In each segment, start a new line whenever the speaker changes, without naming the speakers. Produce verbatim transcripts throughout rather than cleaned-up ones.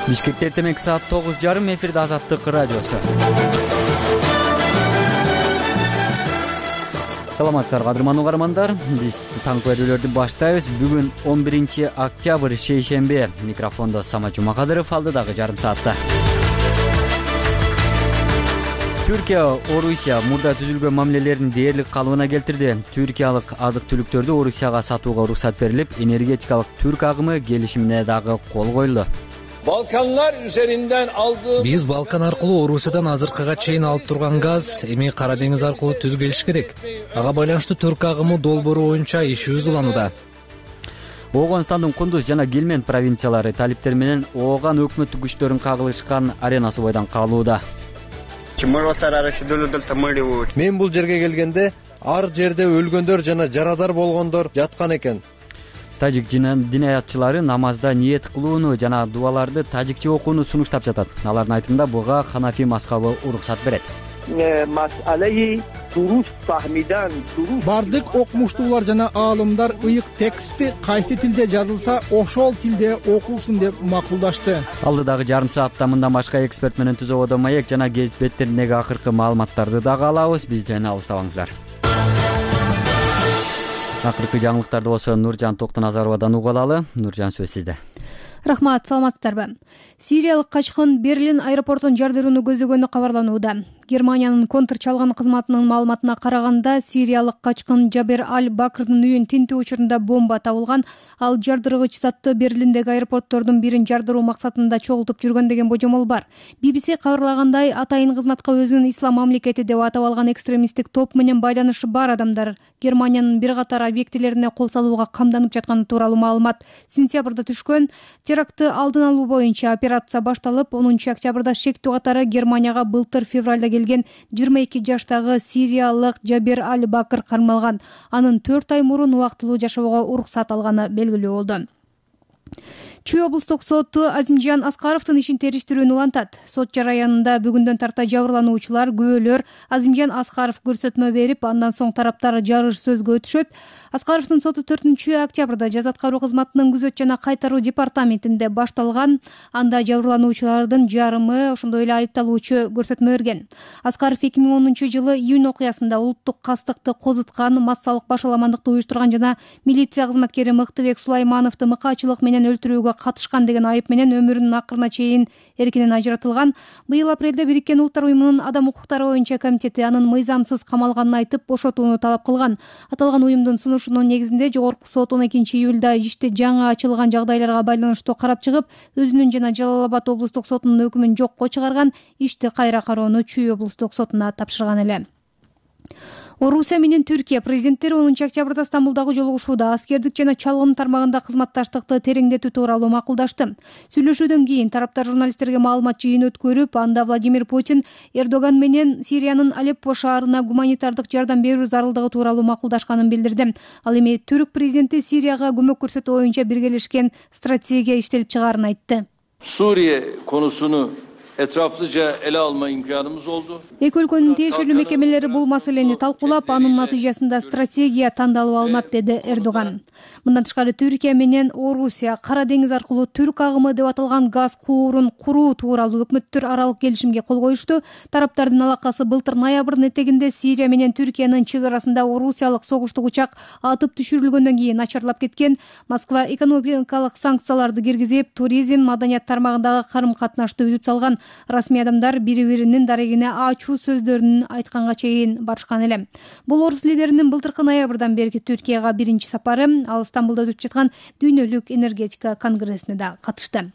Бишкекте эртең саат тогуз жарым, эфирде Азаттык радиосу. Саламатсыздарбы кадырман угармандар. Биз таңкы берүүлөрдү баштайбыз. Бүгүн он биринчи октябрь шейшемби. Микрофондо Самат Жумакадыров, алдыдагы жарым саатта. Түркия Орусия мурда түзүлгөн мамилелерин дээрлик калыбына келтирди. Түркиялык азык-түлүктөрдү Орусияга сатууга уруксат берилип, энергетикалык түрк агымы келишимине дагы кол коюлду.
Balkanlar üzerinden aldığımız...
Биз Балкан аркылуу Орусиядан азыркыга чейин алып турган газ эми Кара деңиз аркылуу түзүп келиш керек. Ага байланыштуу түрк агымы долбоору боюнча иши уланууда.
Ооганстандын Кундуз жана Гельмент провинциялары талиптер менен ооган өкмөттүк күчтөрүн кагылышкан аренасы бойдон калууда.
Мен бул жерге келгенде ар жерде өлгөндөр жана жарадар болгондор жаткан экен.
Тажик динаятчылары намазда ниет кылууну жана дуаларды тажикче окууну сунуштап жатат. Алардын айтымында буга Ханафи мазхабы уруксат берет.
Бардык окумуштуулар жана аалымдар ыйык текстти кайсы тилде жазылса, ошол тилде окулсун деп макулдашты.
Алдыдагы жарым саатта мындан башка эксперт менен Түз абада маек жана гезит беттериндеги акыркы маалыматтарды дагы алабыз. Бизден алыстабаңыздар. Акыркы жаңылыктарды болсо Нуржан Токтоназаровадан угуп алалы. Нуржан, сөз сизде.
Рахмат, саламатсыздарбы? Сириялык качкын Берлин аэропортун жардырууну көздөгөнү кабарланууда. Германиянын контр чалган кызматынын маалыматына караганда, сириялык качкын Жабер Аль-Бакрдын үйүн тинтүү учурунда бомба табылган. Ал жардыргыч затты Берлиндеги аэропорттордун бирин жардыруу максатында чогултуп жүргөн деген божомол бар. би би си кабарлагандай, атайын кызматка өзүн ислам мамлекети деп атап алган экстремисттик топ менен байланышы бар адамдар Германиянын бир катар объектилерине кол салууга камданып жатканы тууралуу маалымат сентябрда түшкөн. Терактты алдын алуу боюнча операция башталып, онунчу октябрда шектүү катары Германияга былтыр февралда келген жыйырма эки жаштагы сириялык Жабер Аль-Бакр кармалган. Анын төрт ай мурун убактылуу жашоого уруксат алганы белгилүү болду. Чүй облустук соту Азимжан Аскаровдун ишин териштирүүнү улантат. Сот жараянында бүгүндөн тарта жабырлануучулар, күбөлөр Азимжан Аскаров көрсөтмө берип, андан соң тараптар жарыш сөзгө өтүшөт. Аскаровдун соту төртүнчү октябрда жаза аткаруу кызматынын күзөт жана кайтаруу департаментинде башталган. Анда жабырлануучулардын жарымы, ошондой эле айыпталуучу көрсөтмө берген. Аскаров эки миң онунчу жылы июнь окуясында улуттук кастыкты козуткан, массалык башаламандыкты уюштурган жана милиция кызматкери Мыктыбек Сулаймановду мыкаачылык менен өлтүрүүгө катышкан деген айып менен өмүрүнүн акырына чейин эркинен ажыратылган. Быйыл апрелде Бириккен Улуттар уюмунун адам укуктары боюнча комитети анын мыйзамсыз камалганын айтып, бошотууну талап кылган. Аталган уюмдун сунушунун негизинде Жогорку сот он экинчи июлда ишти жаңы ачылган жагдайларга байланыштуу карап чыгып, өзүнүн жана Жалал Абад облустук сотунун өкүмүн жокко чыгарган. Ишти кайра кароону Чүй облустук сотуна тапшырган эле. Орусия менен Түркия президенттери онунчу октябрда Стамбулдагы жолугушууда аскердик жана чалгын тармагында кызматташтыкты тереңдетүү тууралуу макулдашты. Сүйлөшүүдөн кийин тараптар журналисттерге маалымат жыйын өткөрүп, анда Владимир Путин Эрдоган менен Сириянын Алеппо шаарына гуманитардык жардам берүү зарылдыгы тууралуу макулдашканын билдирди. Ал эми түрк президенти Сирияга көмөк көрсөтүү боюнча биргелешкен стратегия иштелип чыгаарын айтты.
Suriye konusunu etraflıca ele alma imkanımız oldu.
Эки өлкөнүн тиешелүү мекемелери бул маселени талкуулап, анын натыйжасында стратегия тандалып алынат, деди Эрдоган. Мындан тышкары Түркия менен Орусия Кара деңиз аркылуу түрк агымы деп аталган газ куурун куруу тууралуу өкмөттөр аралык келишимге кол коюшту. Тараптардын алакасы былтыр ноябрдын этегинде Сирия менен Түркиянын чек арасында орусиялык согуштук учак атып түшүрүлгөндөн кийин начарлап кеткен. Москва экономикалык санкцияларды киргизип, туризм, маданият тармагындагы карым-катнашты үзүп салган. Расмий адамдар бири-биринин дарегине ачуу сөздөрүн айтканга чейин барышкан эле. Бул орус лидеринин былтыркы ноябрдан берки Түркияга биринчи сапары. Ал Стамбулда өтүп жаткан дүйнөлүк энергетика конгрессине да катышты.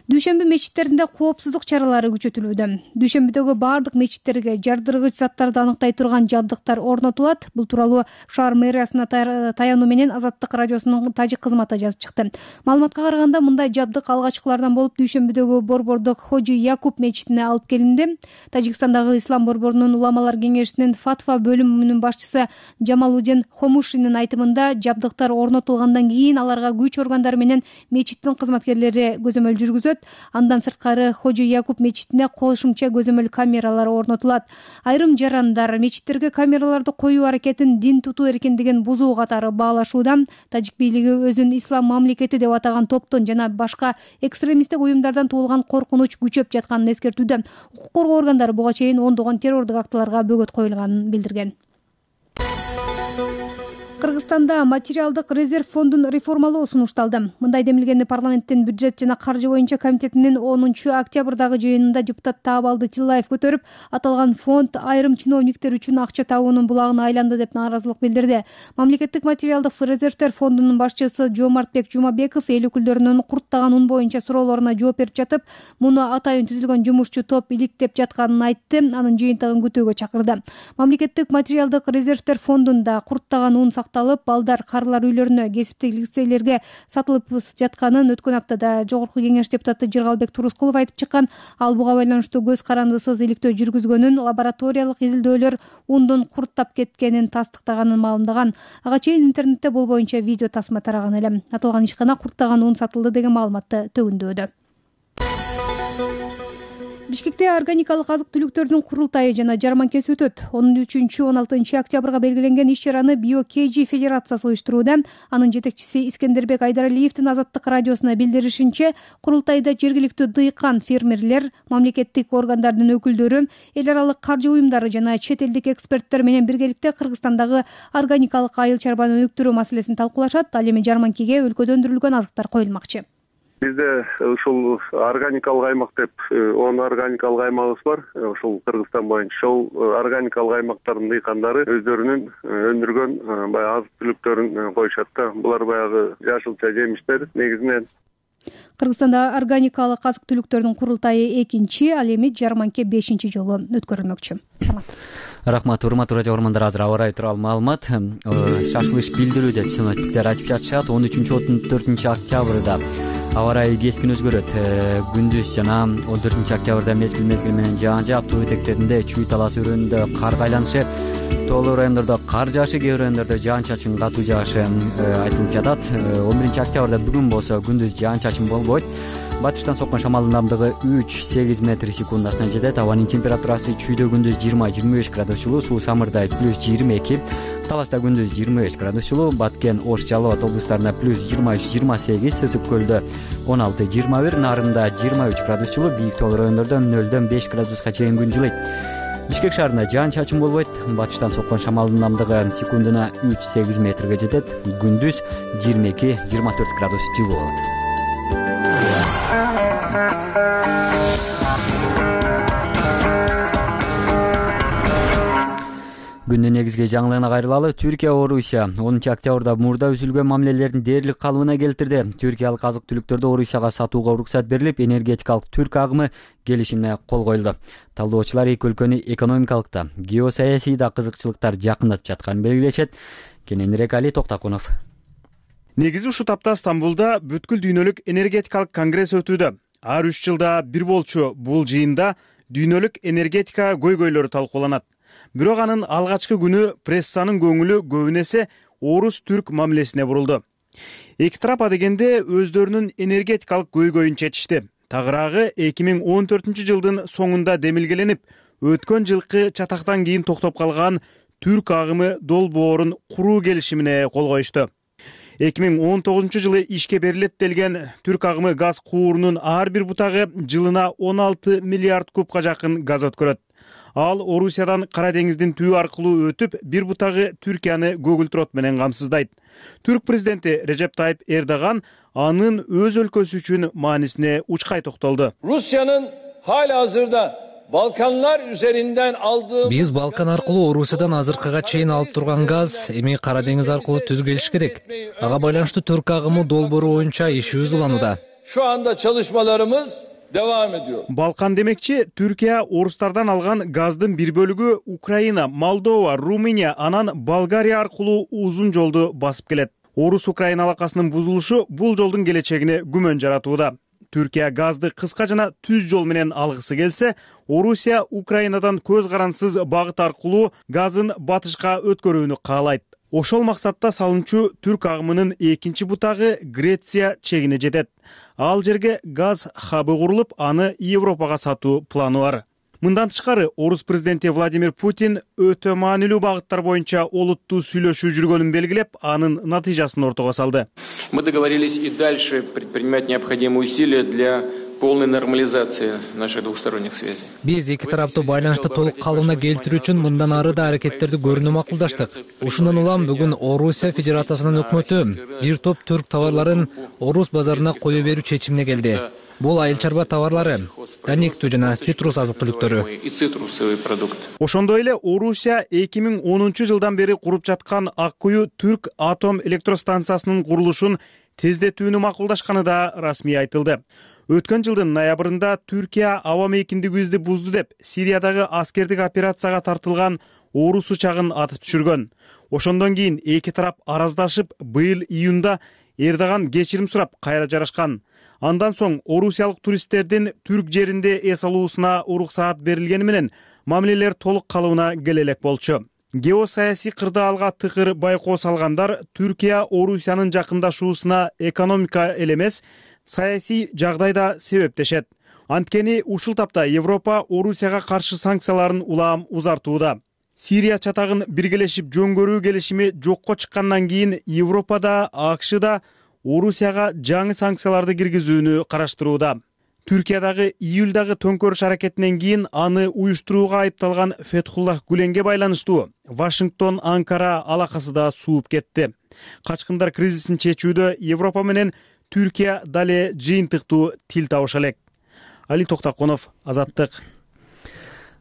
Дүйшөмбү мечиттеринде коопсуздук чаралары күчөтүлүүдө. Дүйшөмбүдөгү бардык мечиттерге жардыргыч заттарды аныктай турган жабдыктар орнотулат. Бул тууралуу шаар мэриясына таянуу менен Азаттык радиосунун тажик кызматы жазып чыкты. Маалыматка караганда, мындай жабдык алгачкылардан болуп Дүйшөмбүдөгү борбордук Хожи Якуб мечитине алып келинди. Тажикстандагы ислам борборунун уламалар кеңешинин фатва бөлүмүнүн башчысы Жамалудин Хомушинин айтымында, жабдыктар орнотулгандан кийин аларга күч органдары менен мечиттин кызматкерлери көзөмөл жүргүзөт. өтөт. Андан сырткары Хожи Якуб мечитине кошумча көзөмөл камералары орнотулат. Айрым жарандар мечиттерге камераларды коюу аракетин дин тутуу эркиндигин бузуу катары баалашууда. Тажик бийлиги өзүн ислам мамлекети деп атаган топтон жана башка экстремисттик уюмдардан туулган коркунуч күчөп жатканын эскертүүдө. Укук коргоо органдары буга чейин ондогон террордук актыларга бөгөт коюлганын билдирген. Кыргызстанда материалдык резерв фондун реформалоо сунушталды. Мындай демилгенди парламенттин бюджет жана каржы боюнча комитетинин онунчу октябрдагы жыйынында депутат Таабалды Тиллаев көтөрүп, аталган фонд айрым чиновниктер үчүн акча табуунун булагына айланды деп нааразылык билдирди. Мамлекеттик материалдык резервдер фондунун башчысы Жомартбек Жумабеков эл өкүлдөрүнүн курттаган un боюнча суроолоруна жооп берип жатып, муну атайын түзүлгөн жумушчу топ иликтеп жатканын айтты. Анын жыйынтыгын күтүүгө чакырды. Мамлекеттик материалдык резервдер фондунда курттаган un сакталып, балдар, карылар үйлөрүнө, кесиптик лицейлерге сатылып жатканын өткөн аптада Жогорку Кеңеш депутаты Жыргалбек Турускулов айтып чыккан. Ал буга байланыштуу көз карандысыз иликтөө жүргүзгөнүн, лабораториялык изилдөөлөр ундун курттап кеткенин тастыктаганын маалымдаган. Ага чейин интернетте бул боюнча видео тасма тараган эле. Аталган ишкана курттаган un сатылды деген маалыматты төгүндөөдө. Бишкекте органикалык азык-түлүктөрдүн курултайы жана жарманкеси өтөт. он үчүнчү он алтынчы октябрга белгиленген иш-чараны Био-КG федерациясы уюштурууда. Анын жетекчиси Искендербек Айдаралиевдин Азаттык радиосуна билдиришинче, курултайда жергиликтүү дыйкан, фермерлер, мамлекеттик органдардын өкүлдөрү, эл аралык каржы уюмдары жана чет элдик эксперттер менен биргеликте Кыргызстандагы органикалык айыл чарбаны өнүктүрүү маселесин талкуулашат. Ал эми жарманкеге өлкөдө өндүрүлгөн азыктар коюлмакчы.
Бизде ушул органикалык аймак деп он органикалык аймагыбыз бар. Ушул Кыргызстан боюнча ушул органикалык аймактардын дыйкандары өздөрүнүн өндүргөн баягы азык-түлүктөрүн коюшат да. Булар баягы жашылча жемиштер негизинен.
Кыргызстанда органикалык азык-түлүктөрдүн курултайы экинчи, ал эми жарманке бешинчи жолу өткөрүлмөкчү.
Рахмат, урматтуу радио көрөрмандар. Азыр аба ырайы тууралуу маалымат. Шашылыш билдирүү деп синоптиктер айтып жатышат. он үчүнчү он төртүнчү октябрда аба ырайы кескин өзгөрөт. Күндүз жана он төртүнчү октябрда мезгил мезгил менен жаан жаап, тоо этектеринде, Чүй талаасы өрөөнүндө кар кайланышы, тоолуу райондордо кар жаашы, кээ бир райондордо жаан чачын катуу жаашы айтылып жатат. он биринчи октябрда бүгүн болсо күндүз жаан чачын болбойт. Батыштан соккон шамалдын ылдамдыгы үч сегиз метр секундасына жетет. Абанын температурасы Чүйдө күндүз жыйырма жыйырма беш градус жылуу, Суу Самырдай плюс жыйырма эки, Таласта күндүз жыйырма беш градус жылуу, Баткен, Ош, Жалал Абад облустарында плюс жыйырма үч жыйырма сегиз, Сысык көлдө он алты жыйырма бир, Нарында жыйырма үч градус жылуу, бийик тоолуу райондордо нөлдөн беш градуска чейин күн жылыйт. Бишкек шаарында жаан чачын болбойт. Батыштан соккон шамалдын ылдамдыгы секундуна үч сегиз метрге жетет. Күндүз жыйырма эки жыйырма төрт градус жылуу болот. Күндүн негизги жаңылыгына кайрылалы. Түркия Орусия онунчу октябрда мурда үзүлгөн мамилелерин дээрлик калыбына келтирди. Түркиялык азык-түлүктөрдү Орусияга сатууга уруксат берилип, энергетикалык түрк агымы келишимине кол коюлду. Талдоочулар эки өлкөнү экономикалык да, геосаясий да кызыкчылыктар жакындатып жатканын белгилешет. Кененирээк Али Токтакунов.
Негизи ушул тапта Стамбулда бүткүл дүйнөлүк энергетикалык конгресс өтүүдө. Ар үч жылда бир болчу бул жыйында дүйнөлүк энергетика көйгөйлөрү талкууланат. Бирок анын алгачкы күнү прессанын көңүлү көбүн эсе орус-түрк мамилесине бурулду. Эки тарап адегенде өздөрүнүн энергетикалык көйгөйүн чечишти. Тагыраагы эки миң он төртүнчү жылдын соңунда демилгеленип, өткөн жылкы чатактан кийин токтоп калган түрк агымы долбоорун куруу келишимине кол коюшту. эки миң он тогузунчу жылы ишке берилет делген түрк агымы газ куурунун ар бир бутагы жылына он алты миллиард кубка жакын газ өткөрөт. Ал Орусиядан Кара деңиздин түбү аркылуу өтүп, бир бутагы Түркияны көгүлтүрөт менен камсыздайт. Түрк президенти Режеп Тайып Эрдоган анын өз өлкөсү үчүн маанисине учкай токтолду.
Rusya'nın halihazırda Balkanlar üzerinden aldığı
Биз Балкан аркылуу Орусиядан азыркыга чейин алып турган газ эми Кара деңиз аркылуу түз келиш керек. Ага байланыштуу түрк агымы долбоору боюнча ишибиз уланууда.
Şu anda çalışmalarımız devam ediyor.
Балкан демекчи, Түркия орустардан алган газдын бир бөлүгү Украина, Молдова, Румыния, анан Болгария аркылуу узун жолду басып келет. Орус-Украина алакасынын бузулушу бул жолдун келечегине күмөн жаратууда. Түркия газды кыска жана түз жол менен алгысы келсе, Орусия Украинадан көз карансыз багыт аркылуу газын батышка өткөрүүнү каалайт. Ошол максатта салымчу түрк агымынын экинчи бутагы Греция чегине жетет. Ал жерге газ хабы курулуп, аны Европага сатуу планы бар. Мындан тышкары орус президенти Владимир Путин өтө маанилүү багыттар боюнча олуттуу сүйлөшүү жүргөнүн белгилеп, анын натыйжасын ортого салды.
Мы договорились и дальше предпринимать необходимые усилия для полной нормализации наших двусторонних связей.
Биз эки тараптуу байланышты толук калыбына келтирүү үчүн мындан ары да аракеттерди көрүүнү макулдаштык. Ушундан улам бүгүн Орусия Федерациясынын өкмөтү бир топ түрк товарларын Орус базарына кое берүү чечимине келди. Бул айыл чарба товарлары, данектүү жана цитрус азык-түлүктөрү.
Ошондой эле Орусия эки миң онунчу жылдан бери куруп жаткан Ак Кую түрк атом электростанциясынын курулушун тездетүүнү макулдашканы да расмий айтылды. Өткөн жылдын ноябрында Түркия аба мейкиндигибизди бузду деп Сириядагы аскердик операцияга тартылган орус учагын атып түшүргөн. Ошондон кийин эки тарап араздашып, быйыл июнда Эрдоган кечирим сурап кайра жарашкан. Андан соң орусиялык туристтердин түрк жеринде эс алуусуна уруксаат берилгени менен мамилелер толук калыбына келе элек болчу. Геосаясий кырдаалга тыкыр байкоо салгандар Түркия Орусиянын жакындашуусуна экономика эле эмес, саясий жагдай да себептешет. Анткени ушул тапта Европа Орусияга каршы санкцияларын улам узартууда. Сирия чатагын биргелешип жөн көрүү келишими жокко чыккандан кийин Европада, АКШ да Орусияга жаңы санкцияларды киргизүүнү караштырууда. Түркиядагы июлдагы төңкөрүш аракетинен кийин аны уюштурууга айыпталган Фетхуллах Гүленге байланыштуу Вашингтон Анкара алакасы да сууп кетти. Качкындар кризисин чечүүдө Европа менен Түркия дале жыйынтыктуу тил табыша элек. Али Токтаконов, Азаттык.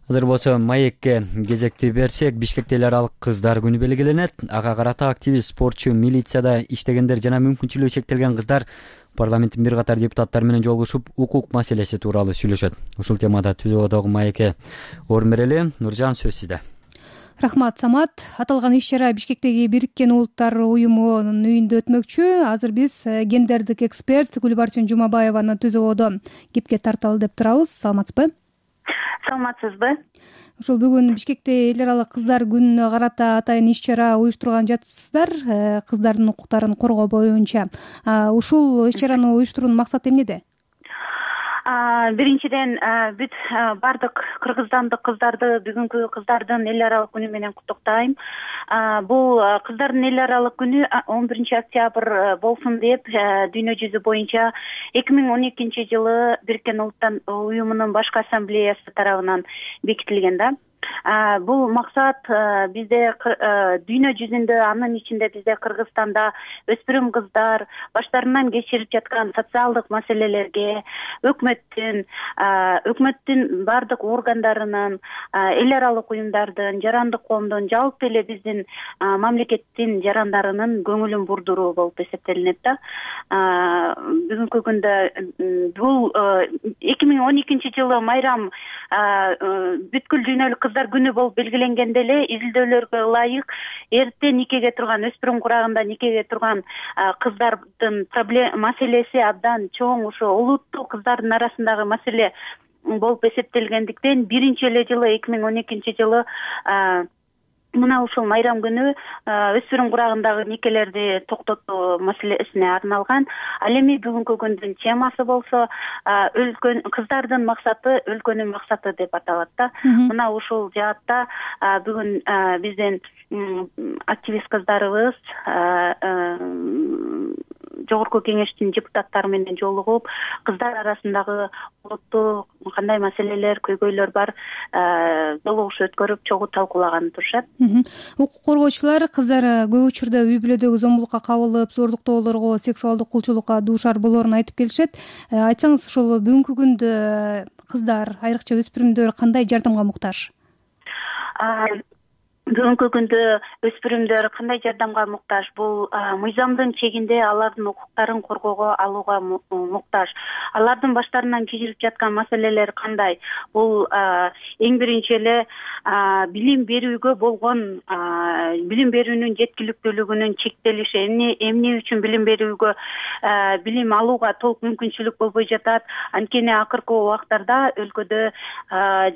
Азыр болсо маекке кезекти берсек, Бишкекте эл аралык кыздар күнү белгиленет. Ага карата активист, спортчу, милицияда иштегендер жана мүмкүнчүлүгү чектелген кыздар парламенттин бир катар депутаттары менен жолугушуп, укук маселеси тууралуу сүйлөшөт. Ушул темада түзүүдөгү маекке орун берели. Нуржан, сөз сизде.
Рахмат, Самат. Аталган иш-чара Бишкектеги Бириккен Улуттар уюмунун үйүндө өтмөкчү. Азыр биз гендердик эксперт Гүлбарчын Жумабаеваны түзөөдө кепке тарталы деп турабыз. Саламатсызбы?
Саламатсызбы?
Ушул бүгүн Бишкекте эл аралык кыздар күнүнө карата атайын иш-чара уюштурган жатыпсыздар, кыздардын укуктарын коргоо боюнча. Ушул иш-чараны уюштуруунун максаты эмнеде?
Биринчиден бүт бардык кыргызстандык кыздарды бүгүнкү кыздардын эл аралык күнү менен куттуктайм. Бул кыздардын эл аралык күнү он биринчи октябрь болсун деп дүйнө жүзү боюнча эки миң он экинчи жылы Бириккен Улуттар уюмунун башкы ассамблеясы тарабынан бекитилген да. Бул максат бизде дүйнө жүзүндө, анын ичинде бизде Кыргызстанда өспүрүм кыздар баштарынан кечирип жаткан социалдык маселелерге өкмөттүн, өкмөттүн бардык органдарынын, эл аралык уюмдардын, жарандык коомдун, жалпы эле биздин мамлекеттин жарандарынын көңүлүн бурдуруу болуп эсептелинет да. Бүгүнкү күндө бул эки миң он экинчи жылы майрам бүткүл дүйнөлүк кыздар күнү болуп белгиленгенде эле изилдөөлөргө ылайык эрте никеге турган, өспүрүм курагында никеге турган кыздардын проблема маселеси абдан чоң, ошо олуттуу кыздардын арасындагы маселе болуп эсептелгендиктен биринчи эле жылы эки миң он экинчи жылы мына ушул майрам күнү өспүрүм курагындагы никелерди токтотуу маселесине арналган. Ал эми бүгүнкү күндүн темасы болсо өлкөн кыздардын максаты өлкөнүн максаты деп аталат да. Мына ушул жаатта бүгүн биздин активист кыздарыбыз жогорку кеңештин депутаттары менен жолугуп, кыздар арасындагы олуттуу кандай маселелер, көйгөйлөр бар жолугуш өткөрүп, чогуу талкуулаган турушат.
Укук коргоочулар кыздар көп учурда үй бүлөдөгү зомбулукка кабылып, зордуктоолорго, сексуалдык кулчулукка дуушар болоорун айтып келишет. Айтсаңыз, ушул бүгүнкү күндө кыздар, айрыкча өспүрүмдөр кандай жардамга муктаж?
Бүгүнкү күндө өспүрүмдөр кандай жардамга муктаж? Бул мыйзамдын чегинде алардын укуктарын коргоого алууга муктаж. Алардын баштарынан кечирип жаткан маселелер кандай? Бул эң биринчи эле билим берүүгө болгон, билим берүүнүн жеткиликтүүлүгүнүн чектелиши. Эмне эмне үчүн билим берүүгө, билим алууга толук мүмкүнчүлүк болбой жатат? Анткени акыркы убактарда өлкөдө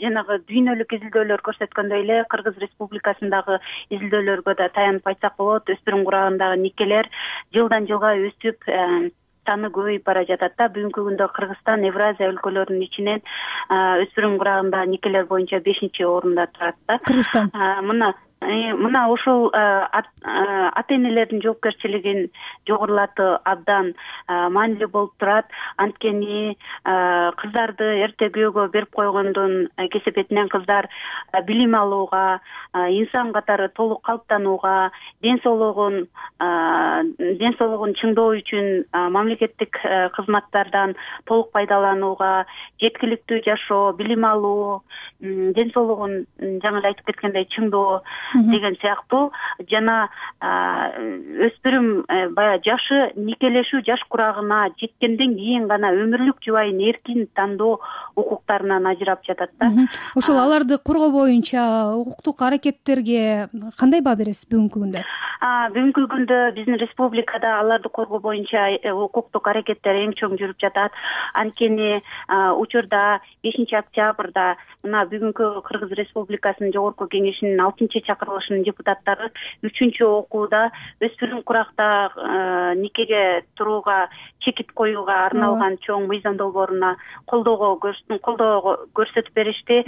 жанагы дүйнөлүк изилдөөлөр көрсөткөндөй эле Кыргыз Республикасы арасындагы изилдөөлөргө да таянып айтсак болот. Өспүрүм курагындагы никелер жылдан жылга өсүп саны көбөйүп бара жатат да. Бүгүнкү күндө Кыргызстан Евразия өлкөлөрүнүн ичинен өспүрүм курагындагы никелер боюнча бешинчи орунда турат да.
Кыргызстан
мына мына ошол ата энелердин жоопкерчилигин жогорулатуу абдан маанилүү болуп турат. Анткени кыздарды эрте күйөөгө берип койгондун кесепетинен кыздар билим алууга, инсан катары толук калыптанууга, ден соолугун ден соолугун чыңдоо үчүн мамлекеттик кызматтардан толук пайдаланууга, жеткиликтүү жашоо, билим алуу, ден соолугун жаңы эле айтып кеткендей чыңдоо деген сыяктуу жана өспүрүм баягы жашы никелешүү жаш курагына жеткенден кийин гана өмүрлүк жубайын эркин тандоо укуктарынан ажырап жатат да.
Ошол аларды коргоо боюнча укуктук аракеттерге кандай баа бересиз бүгүнкү күндө?
Бүгүнкү күндө биздин республикада аларды коргоо боюнча укуктук аракеттер эң чоң жүрүп жатат. Анткени учурда бешинчи октябрда мына бүгүнкү Кыргыз Республикасынын Жогорку Кеңешинин алтынчы чакырылышынын депутаттары үчүнчү окууда өспүрүм куракта никеге турууга чекит коюуга арналган чоң мыйзам долбооруна колдоо колдоо көрсөтүп беришти.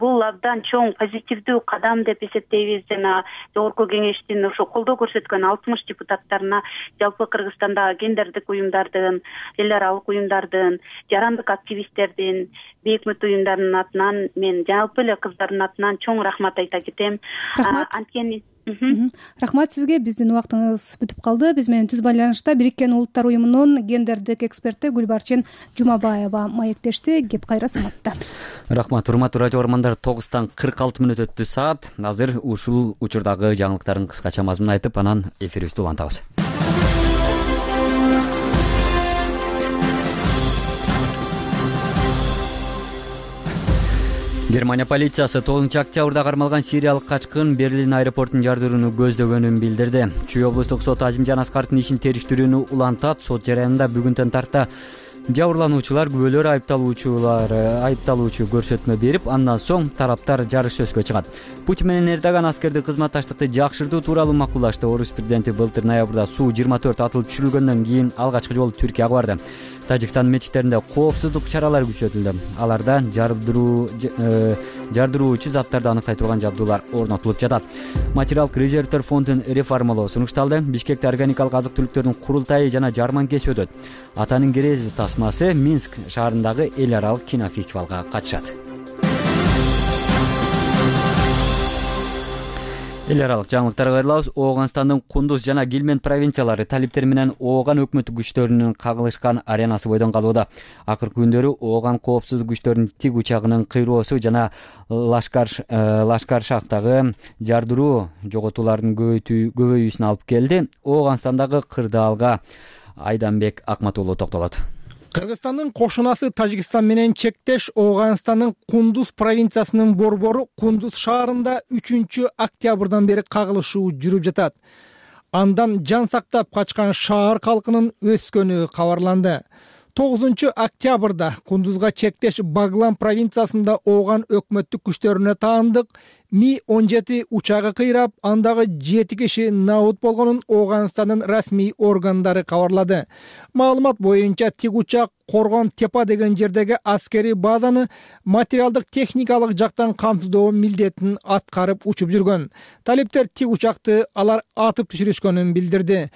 Бул абдан чоң позитивдүү кадам деп эсептейбиз жана Жогорку Кеңештин ошо колдоо көрсөткөн алтымыш депутаттарына жалпы Кыргызстандагы гендердик уюмдардын, эл аралык уюмдардын, жарандык активисттердин, бейөкмөт уюмдарынын атынан мен жалпы эле кыздардын атынан чоң рахмат айта кетем.
Рахмат.
Анткени
Рахмат сизге. Биздин убактыбыз бүтүп калды. Биз менен түз байланышта Бириккен Улуттар уюмунун гендердик эксперти Гүлбарчын Жумабаева маектешти. Кеп кайра саматта.
Рахмат. Урматтуу радио угармандар, тогуздан кырк алты мүнөт өттү саат. Азыр ушул учурдагы жаңылыктардын кыскача мазмунун айтып, анан эфирибизди улантабыз. Германия полициясы тогузунчу октябрда кармалган сириялык качкын Берлин аэропортун жардырууну көздөгөнүн билдирди. Чүй облустук соту Азимжан Аскаровдун ишин териштирүүнү улантат. Сот жараянында бүгүнтөн тарта жабырлануучулар күбөлөр айыпталуучулар айыпталуучу көрсөтмө берип, андан соң тараптар жарыш сөзгө чыгат. Путин менен Эрдоган аскердик кызматташтыкты жакшыртуу тууралуу макулдашты. Орус президенти былтыр ноябрда Су жыйырма төрт атылып түшүрүлгөндөн кийин алгачкы жолу Түркияга барды. Тажикстан мечиттеринде коопсуздук чаралары күчөтүлдү. Аларда жардыруу жардыруучу заттарды аныктай турган жабдуулар орнотулуп жатат. Материалдык резервдер фондун реформалоо сунушталды. Бишкекте органикалык азык-түлүктөрдүн курултайы жана жарманкеси өтөт. Атанын керези тасмасы Минск шаарындагы эл аралык кинофестивалга катышат. Эл аралык жаңылыктарга кайрылабыз. Ооганстандын Кундуз жана Гилмент провинциялары талиптер менен Ооган өкмөттүк күчтөрүнүн кагылышкан аренасы бойдон калууда. Акыркы күндөрү Ооган коопсуздук күчтөрүнүн тиг учагынын кыйроосу жана Лашкар Лашкаршактагы жардыруу жоготуулардын көбөйүүсүнө алып келди. Ооганстандагы кырдаалга Айданбек Акматуулу токтолот.
Кыргызстандын кошунасы Тажикстан менен чектеш Ооганстандын Кундуз провинциясынын борбору Кундуз шаарында үчүнчү октябрдан бери кагылышуу жүрүп жатат. Андан жан сактап качкан шаар калкынын өскөнү кабарланды. тогузунчу октябрда Кундузга чектеш Баглан провинциясында Ооган өкмөттүк күчтөрүнө таандык Ми он жети учагы кыйрап, андагы жети киши набут болгонун Ооганстандын расмий органдары кабарлады. Маалымат боюнча тиг учак Коргон Тепа деген жердеги аскерий базаны материалдык техникалык жактан камсыздоо милдетин аткарып учуп жүргөн. Талиптер тиг учакты алар атып түшүрүшкөнүн билдирди.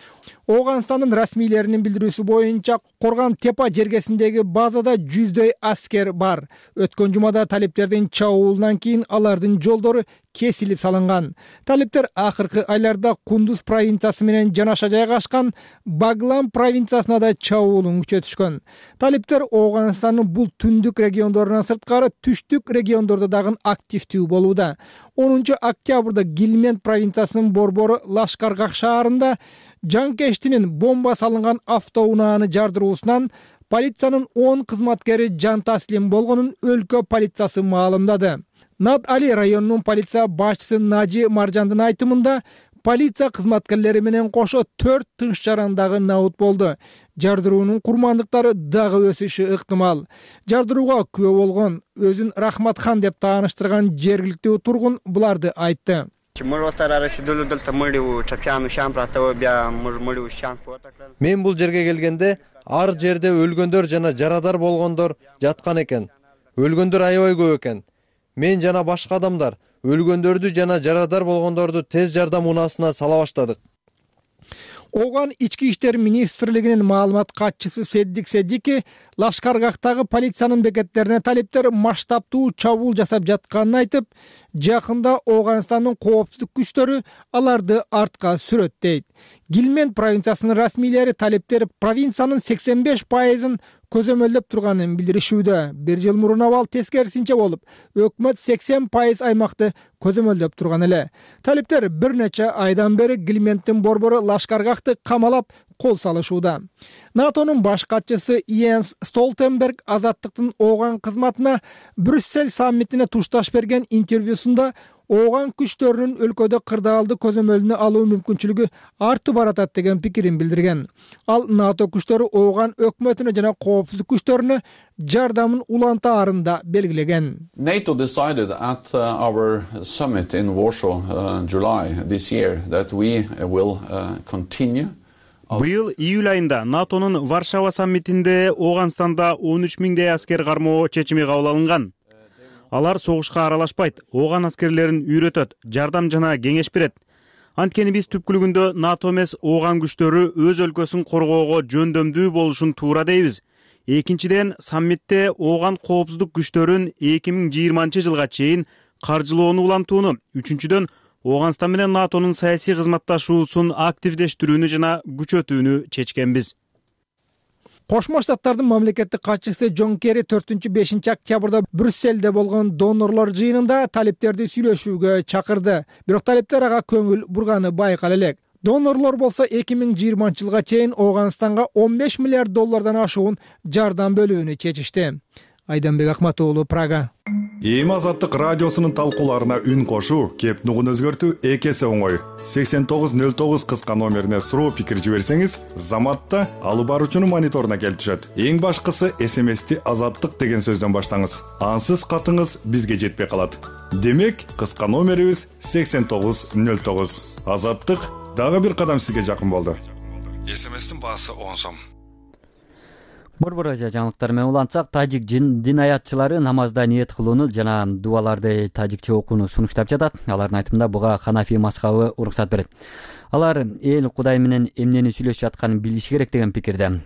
Ооганстандын расмийлеринин билдирүүсү боюнча Коргон Тепа жергесиндеги базада жүздөй аскер бар. Өткөн жумада талиптердин чабуулунан кийин алардын жолдору кесилип салынган. Талиптер акыркы айларда Кундуз провинциясы менен жанаша жайгашкан Баглан провинциясына да чабуулун күчөтүшкөн. Талиптер Ооганстандын бул түндүк региондорунан сырткары түштүк региондордо дагы активдүү болууда. онунчу октябрда Гилмент провинциясынын борбору Лашкаргах шаарында жанкештинин бомба салынган автоунааны жардыруусунан полициянын он кызматкери жан таслим болгонун өлкө полициясы маалымдады. Над Али районунун полиция башчысы Нажи Маржандын айтымында полиция кызматкерлери менен кошо төрт тынч жарандагы набут болду. Жардыруунун курмандыктары дагы өсүшү ыктымал. Жардырууга күбө болгон өзүн Рахматхан деп тааныштырган жергиликтүү тургун буларды айтты.
Мен бул жерге келгенде ар жерде өлгөндөр жана жарадар болгондор жаткан экен. Өлгөндөр аябай көп экен. Мен жана башка адамдар өлгөндөрдү жана жарадар болгондорду тез жардам унаасына сала баштадык.
Ооган ички иштер министрлигинин маалымат катчысы Седдик Седдики Лашкаргактагы полициянын бекеттерине талептер масштабтуу чабуул жасап жатканын айтып, жакында Ооганстандын коопсуздук күчтөрү аларды артка сүрөт дейт. Гилмент провинциясынын расмийлери талептер провинциянын сексен беш пайызын көзөмөлдөп турганын билдиришүүдө. Бир жыл мурун абал тескерисинче болуп, өкмөт сексен пайыз аймакты көзөмөлдөп турган эле. Талептер бир нече айдан бери Гилменттин борбору Лашкаргакты камалап кол салышууда. НАТОнун баш катчысы Йенс Столтенберг азаттыктын Ооган кызматына Брюссель саммитине тушташ берген интервьюсунда Ооган күчтөрүнүн өлкөдө кырдаалды көзөмөлүнө алуу мүмкүнчүлүгү артып баратат деген пикирин билдирген. Ал НАТО күчтөрү Ооган өкмөтүнө жана коопсуздук күчтөрүнө жардамын улантаарында белгилеген.
NATO decided at uh, our summit in Warsaw uh, July this year that we will uh, continue.
Быйыл июль айында НАТОнун Варшава саммитинде Ооганстанда он үч миңдей аскер кармоо чечими кабыл алынган. Алар согушка аралашпайт, Ооган аскерлерин үйрөтөт, жардам жана кеңеш берет. Анткени биз түпкүлүгүндө НАТО эмес Ооган күчтөрү өз өлкөсүн коргоого жөндөмдүү болушун туура дейбиз. Экинчиден, саммитте Ооган коопсуздук күчтөрүн эки миң жыйырманчы жылга чейин каржылоону улантууну, үчүнчүдөн Ооганстан менен НАТОнун саясий кызматташуусун активдештирүүнү жана күчөтүүнү чечкенбиз.
Кошмо Штаттардын мамлекеттик катчысы Джон Керри төртүнчү бешинчи октябрда Брюссельде болгон донорлор жыйынында талептерди сүйлөшүүгө чакырды. Бирок талептер ага көңүл бурганы байкала элек. Донорлор болсо эки миң жыйырманчы жылга чейин Ооганстанга он беш миллиард доллардан ашуун жардам бөлүүнү чечишти. Айданбек Акматоğlu, Прага.
Эми Азаттык радиосунун талкууларына үн кошуу, кеп нугун өзгөртүү эки эсе оңой. сексен тогуз нөл тогуз кыска номерине суроо пикир жиберсеңиз, заматта алып баруучунун мониторуна келип түшөт. Эң башкысы эс эм эсти Азаттык деген сөздөн баштаңыз. Ансыз катыңыз бизге жетпей калат. Демек, кыска номерибиз сексен тогуз нөл тогуз. Азаттык дагы бир кадам сизге жакын болду. эс эм эстин баасы он сом.
Борбор Азия жаңылыктары менен улантсак, тажик дин аятчылары намазда ниет кылууну жана дуаларды тажикче окууну сунуштап жатат. Алардын айтымында буга Ханафи мазхабы уруксат берет. Алар эл Кудай менен эмнени сүйлөшүп жатканын билиши керек деген пикирде.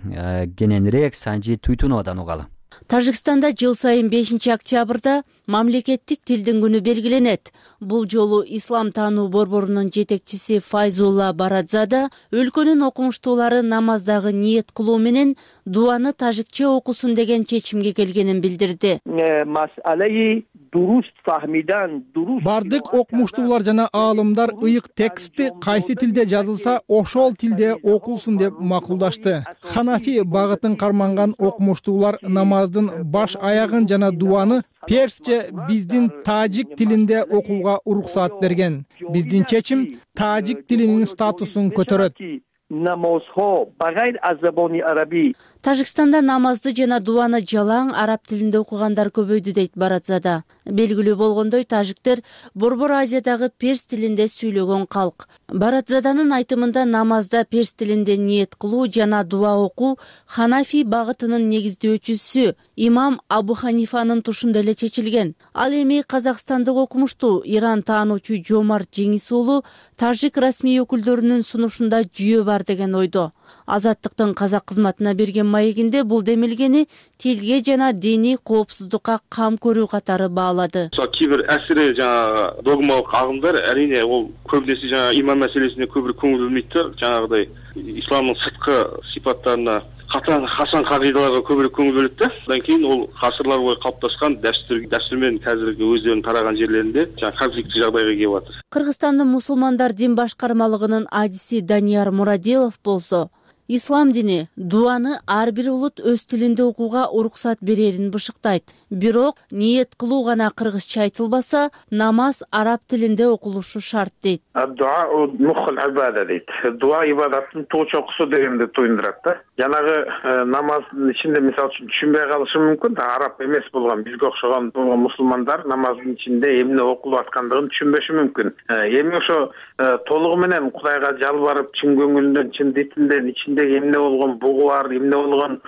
Кененирээк Санжи Туйтуновадан угалы.
Тажикстанда жыл сайын бешинчи октябрда мамлекеттик тилдин күнү белгиленет. Бул жолу ислам таануу борборунун жетекчиси Файзулла Барадзада өлкөнүн окумуштуулары намаздагы ниет кылуу менен дуаны тажикче окусун деген чечимге келгенин билдирди.
Бардык окумуштуулар жана аалымдар ыйык текстти кайсы тилде жазылса, ошол тилде окулсун деп макулдашты. Ханафи багытын карманган окумуштуулар намаздын баш аягын жана дуаны персче биздин тажик тилинде окууга уруксат берген. Биздин чечим тажик тилинин статусун көтөрөт.
Тажикстанда намазды жана дуаны жалаң араб тилинде окугандар көбөйдү дейт Барадзада. Белгилүү болгондой, тажиктер Борбор Азиядагы перс тилинде сүйлөгөн калк. Барадзаданын айтымында намазда перс тилинде ниет кылуу жана дуа окуу Ханафи багытынын негиздөөчүсү имам Абу Ханифанын тушунда эле чечилген. Ал эми казакстандык окумуштуу Иран таануучу Жомарт Жеңис уулу тажик расмий өкүлдөрүнүн сунушунда жүйө бар деген ойдо. Азаттыктын казак кызматына берген маегинде бул демилгени тилге жана диний коопсуздукка кам көрүү катары баалады.
Кээ бир асири жана догмалык агымдар арине ол көбүнесе жана иман маселесине көбүрөөк көңүл бөлмөйт да, жанагыдай исламдын сырткы сыйпаттарына, катаң хасан кагыйдаларга көбүрөөк көңүл бөлөт да. Андан кийин ол гасырлар бою калыпташкан дәстүр дәстүр менен азыркы өздөрүнүн тараган жерлеринде жана конфликттүү жагдайга келип атат.
Кыргызстандын мусулмандар дин башкармалыгынын адиси Данияр Мурадилов болсо, ислам дини дуаны ар бир улут өз тилинде окууга уруксат берерин бышыктайт. бирок ниет кылуу гана кыргызча айтылбаса, намаз араб тилинде окулушу шарт дейт.
дейт. Дуа ибадаттын тоочокусу дегенди туюндурат да. Жанагы намаздын ичинде мисалы үчүн түшүнбөй калышы мүмкүн да, араб эмес болгон бизге окшогон мусулмандар намаздын ичинде эмне окулуп аткандыгын түшүнбөшү мүмкүн. Эми ошо толугу менен Кудайга жалбарып, чын көңүлүндөн, чын дитинден ичиндеги эмне болгон бугу бар, эмне болгон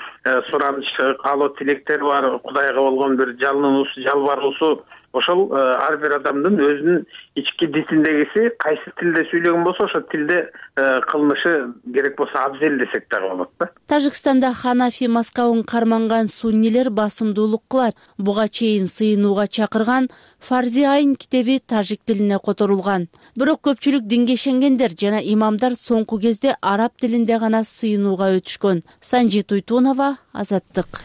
сураныч, каалоо тилектери бар, Кудайга болгон бир жалынуусу, жалбаруусу, ошол ар бир адамдын өзүнүн ички дитиндегиси кайсы тилде сүйлөгөн болсо ошол тилде кылынышы керек болсо абзел десек дагы болот да.
Тажикстанда Ханафи мазхабын карманган суннилер басымдуулук кылат. Буга чейин сыйынууга чакырган Фарзи Айн китеби тажик тилине которулган. Бирок көпчүлүк динге ишенгендер жана имамдар соңку кезде араб тилинде гана сыйынууга өтүшкөн. Санжи Туйтунова, Азаттык.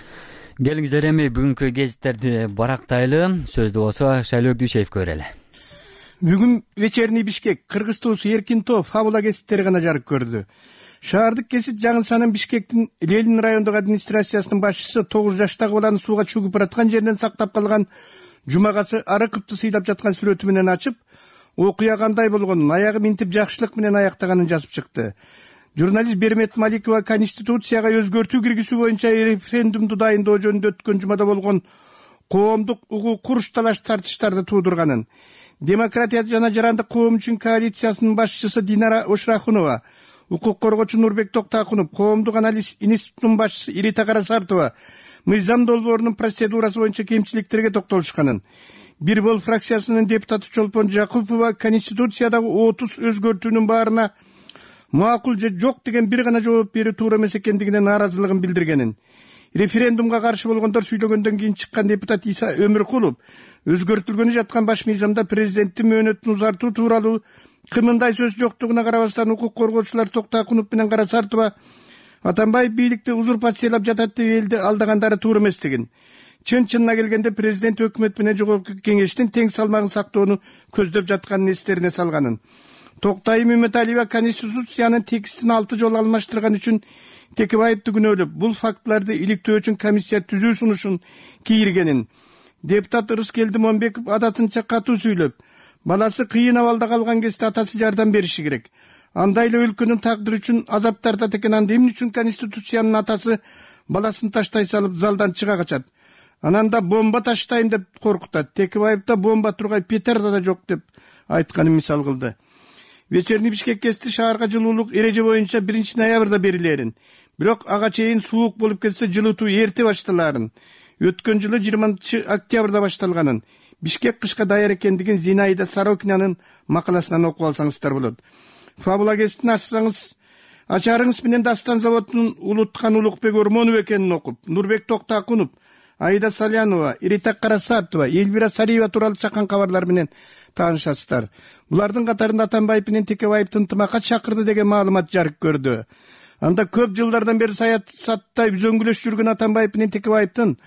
Келиңиздер эми бүгүнкү гезиттерди барактайлы. Сөздү болсо Шайлоо Дүйшеевге берели.
Бүгүн вечерний Бишкек Кыргыз туусу Эркинтоо фабула гезиттери гана жарык көрдү. Шаардык гезит жаңылсанын Бишкектин Ленин райондук администрациясынын башчысы тогуз жаштагы баланы сууга чөгүп бараткан жеринен сактап калган жумагасы ары кыпты сыйлап жаткан сүрөтү менен ачып, окуя кандай болгонун, аягы минтип жакшылык менен аяктаганын жазып чыкты. Журналист Бермет Маликова Конституцияга өзгөртүү киргизүү боюнча референдумду дайындоо жөнүндө өткөн жумада болгон коомдук угуу куруш талаш тартыштарды туудурганын, Демократия жана жарандык коом үчүн коалициясынын башчысы Динара Ошрахунова, укук коргоочу Нурбек Токтакунов, коомдук анализ институтунун башчысы Ирита Карасартова мыйзам долбоорунун процедурасы боюнча кемчиликтерге токтолушканын, Бир бол фракциясынын депутаты Чолпон Жакупова Конституциядагы отуз өзгөртүүнүн баарына макул же жок деген бир гана жооп берүү туура эмес экендигине нааразылыгын билдиргенин, референдумга каршы болгондор сүйлөгөндөн кийин чыккан депутат Иса Өмүркулов өзгөртүлгөнү жаткан баш мыйзамда президенттин мөөнөтүн узартуу тууралуу кымындай сөз жоктугуна карабастан укук коргоочулар Токтакунов менен Карасартова Атамбаев бийликти узурпациялап жатат деп элди алдагандары туура эместигин, чын-чынына келгенде президент өкмөт менен жогорку кеңештин тең салмагын сактоону көздөп жатканын эстерине салганын, Токтайым Үмөталиева Конституциянын текстин алты жолу алмаштырган үчүн Текебаевди күнөөлөп, бул фактыларды иликтөө үчүн комиссия түзүү сунушун кийиргенин, депутат Ырыскелди Момбеков адатынча катуу сүйлөп, баласы кыйын абалда калган кезде атасы жардам бериши керек. Андай эле өлкөнүн тагдыры үчүн азап тартат экен, анда эмне үчүн Конституциянын атасы баласын таштай салып залдан чыга качат? Анан да бомба таштайм деп коркутат. Текебаевда бомба тургай петарда да жок деп айтканын мисал кылды. Вечерний Бишкек гезити шаарга жылуулук эреже боюнча биринчи ноябрда берилерин, бирок ага чейин суук болуп кетсе жылытуу эрте башталарын, өткөн жылы жыйырманчы октябрда башталганын, Бишкек кышка даяр экендигин Зинаида Сорокинаның макаласынан окуп алсаңыздар болот. Фабула гезитин ачсаңыз, ачарыңыз менен Дастан заводунун улуткан Улукбек Ормонов экенин окуп, Нурбек Токтакунов, Аида Салянова, Ирита Карасартова, Эльвира Сариева тууралуу чакан кабарлар менен таанышасыздар. Булардын катарында Атамбаев менен Текебаевди ынтымакка чакырды деген маалымат жарык көрдү. Анда көп жылдардан бери саясатта үзөңгүлөш жүргөн Атамбаев менен Текебаевдин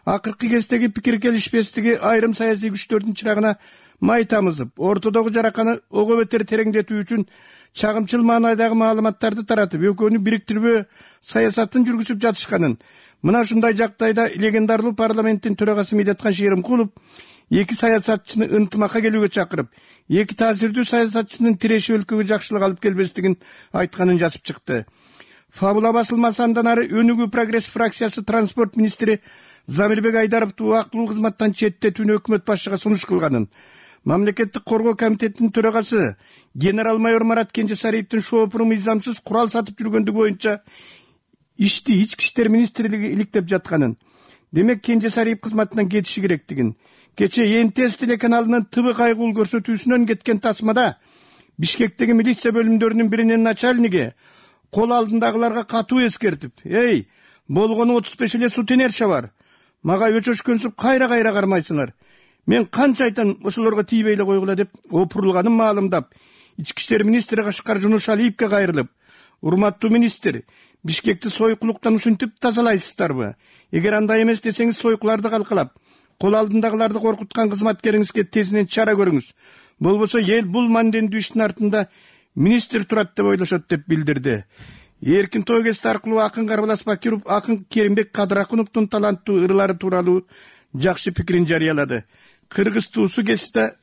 акыркы кездеги пикир келишпестиги айрым саясий күчтөрдүн чырагына май тамызып, ортодогу жараканы ого бетер тереңдетүү үчүн чагымчыл маанайдагы маалыматтарды таратып, экөөнү бириктирбөө саясатын жүргүзүп жатышканын, мына ушундай жагдайда легендарлуу парламенттин төрагасы Медеткан Шеримкулов эки саясатчыны ынтымакка келүүгө чакырып, эки таасирдүү саясатчынын тиреши өлкөгө жакшылык алып келбестигин айтканын жазып чыкты. Фабула басылмасы андан ары Өнүгүү Прогресс фракциясы транспорт министри Замирбек Айдаровду убактылуу кызматтан четтетүүнү өкмөт башчыга сунуш кылганын, Мамлекеттик коргоо комитетинин төрагасы генерал-майор Марат Кенжесариевдин шоопуру мыйзамсыз курал сатып жүргөндүгү боюнча ишти ички иштер министрлиги иликтеп жатканын, демек Кенжесариев кызматынан кетиши керектигин, кече Эн Тэ Эс телеканалынын Ты Бы кайгылуу көрсөтүүсүнөн кеткен тасмада Бишкектеги милиция бөлүмдөрүнүн биринин начальниги кол алдындагыларга катуу эскертип, «Эй, болгону отуз беш эле сутенерша бар. Мага өчөшкөнсүп кайра-кайра кармайсыңар. Мен канча айтам ошолорго тийбей эле койгула» деп опурулганын маалымдап, ички иштер министри Кашкар Жунушалиевге кайрылып, «Урматтуу министр, Бишкекти сойкулуктан ушинтип тазалайсыздарбы? Эгер андай эмес десеңиз, сойкуларды калкалап, кол алдындагыларды коркуткан кызматкериңизге тезинен чара көрүңүз. Болбосо эл бул мандендүү иштин артында министр турат деп ойлошот» деп билдирди. Эркин той гезити аркылуу акын Карбалас Бакиров, акын Керимбек Кадыракуновдун таланттуу ырлары тууралуу жакшы пикирин жарыялады. Кыргыз туусу кесипте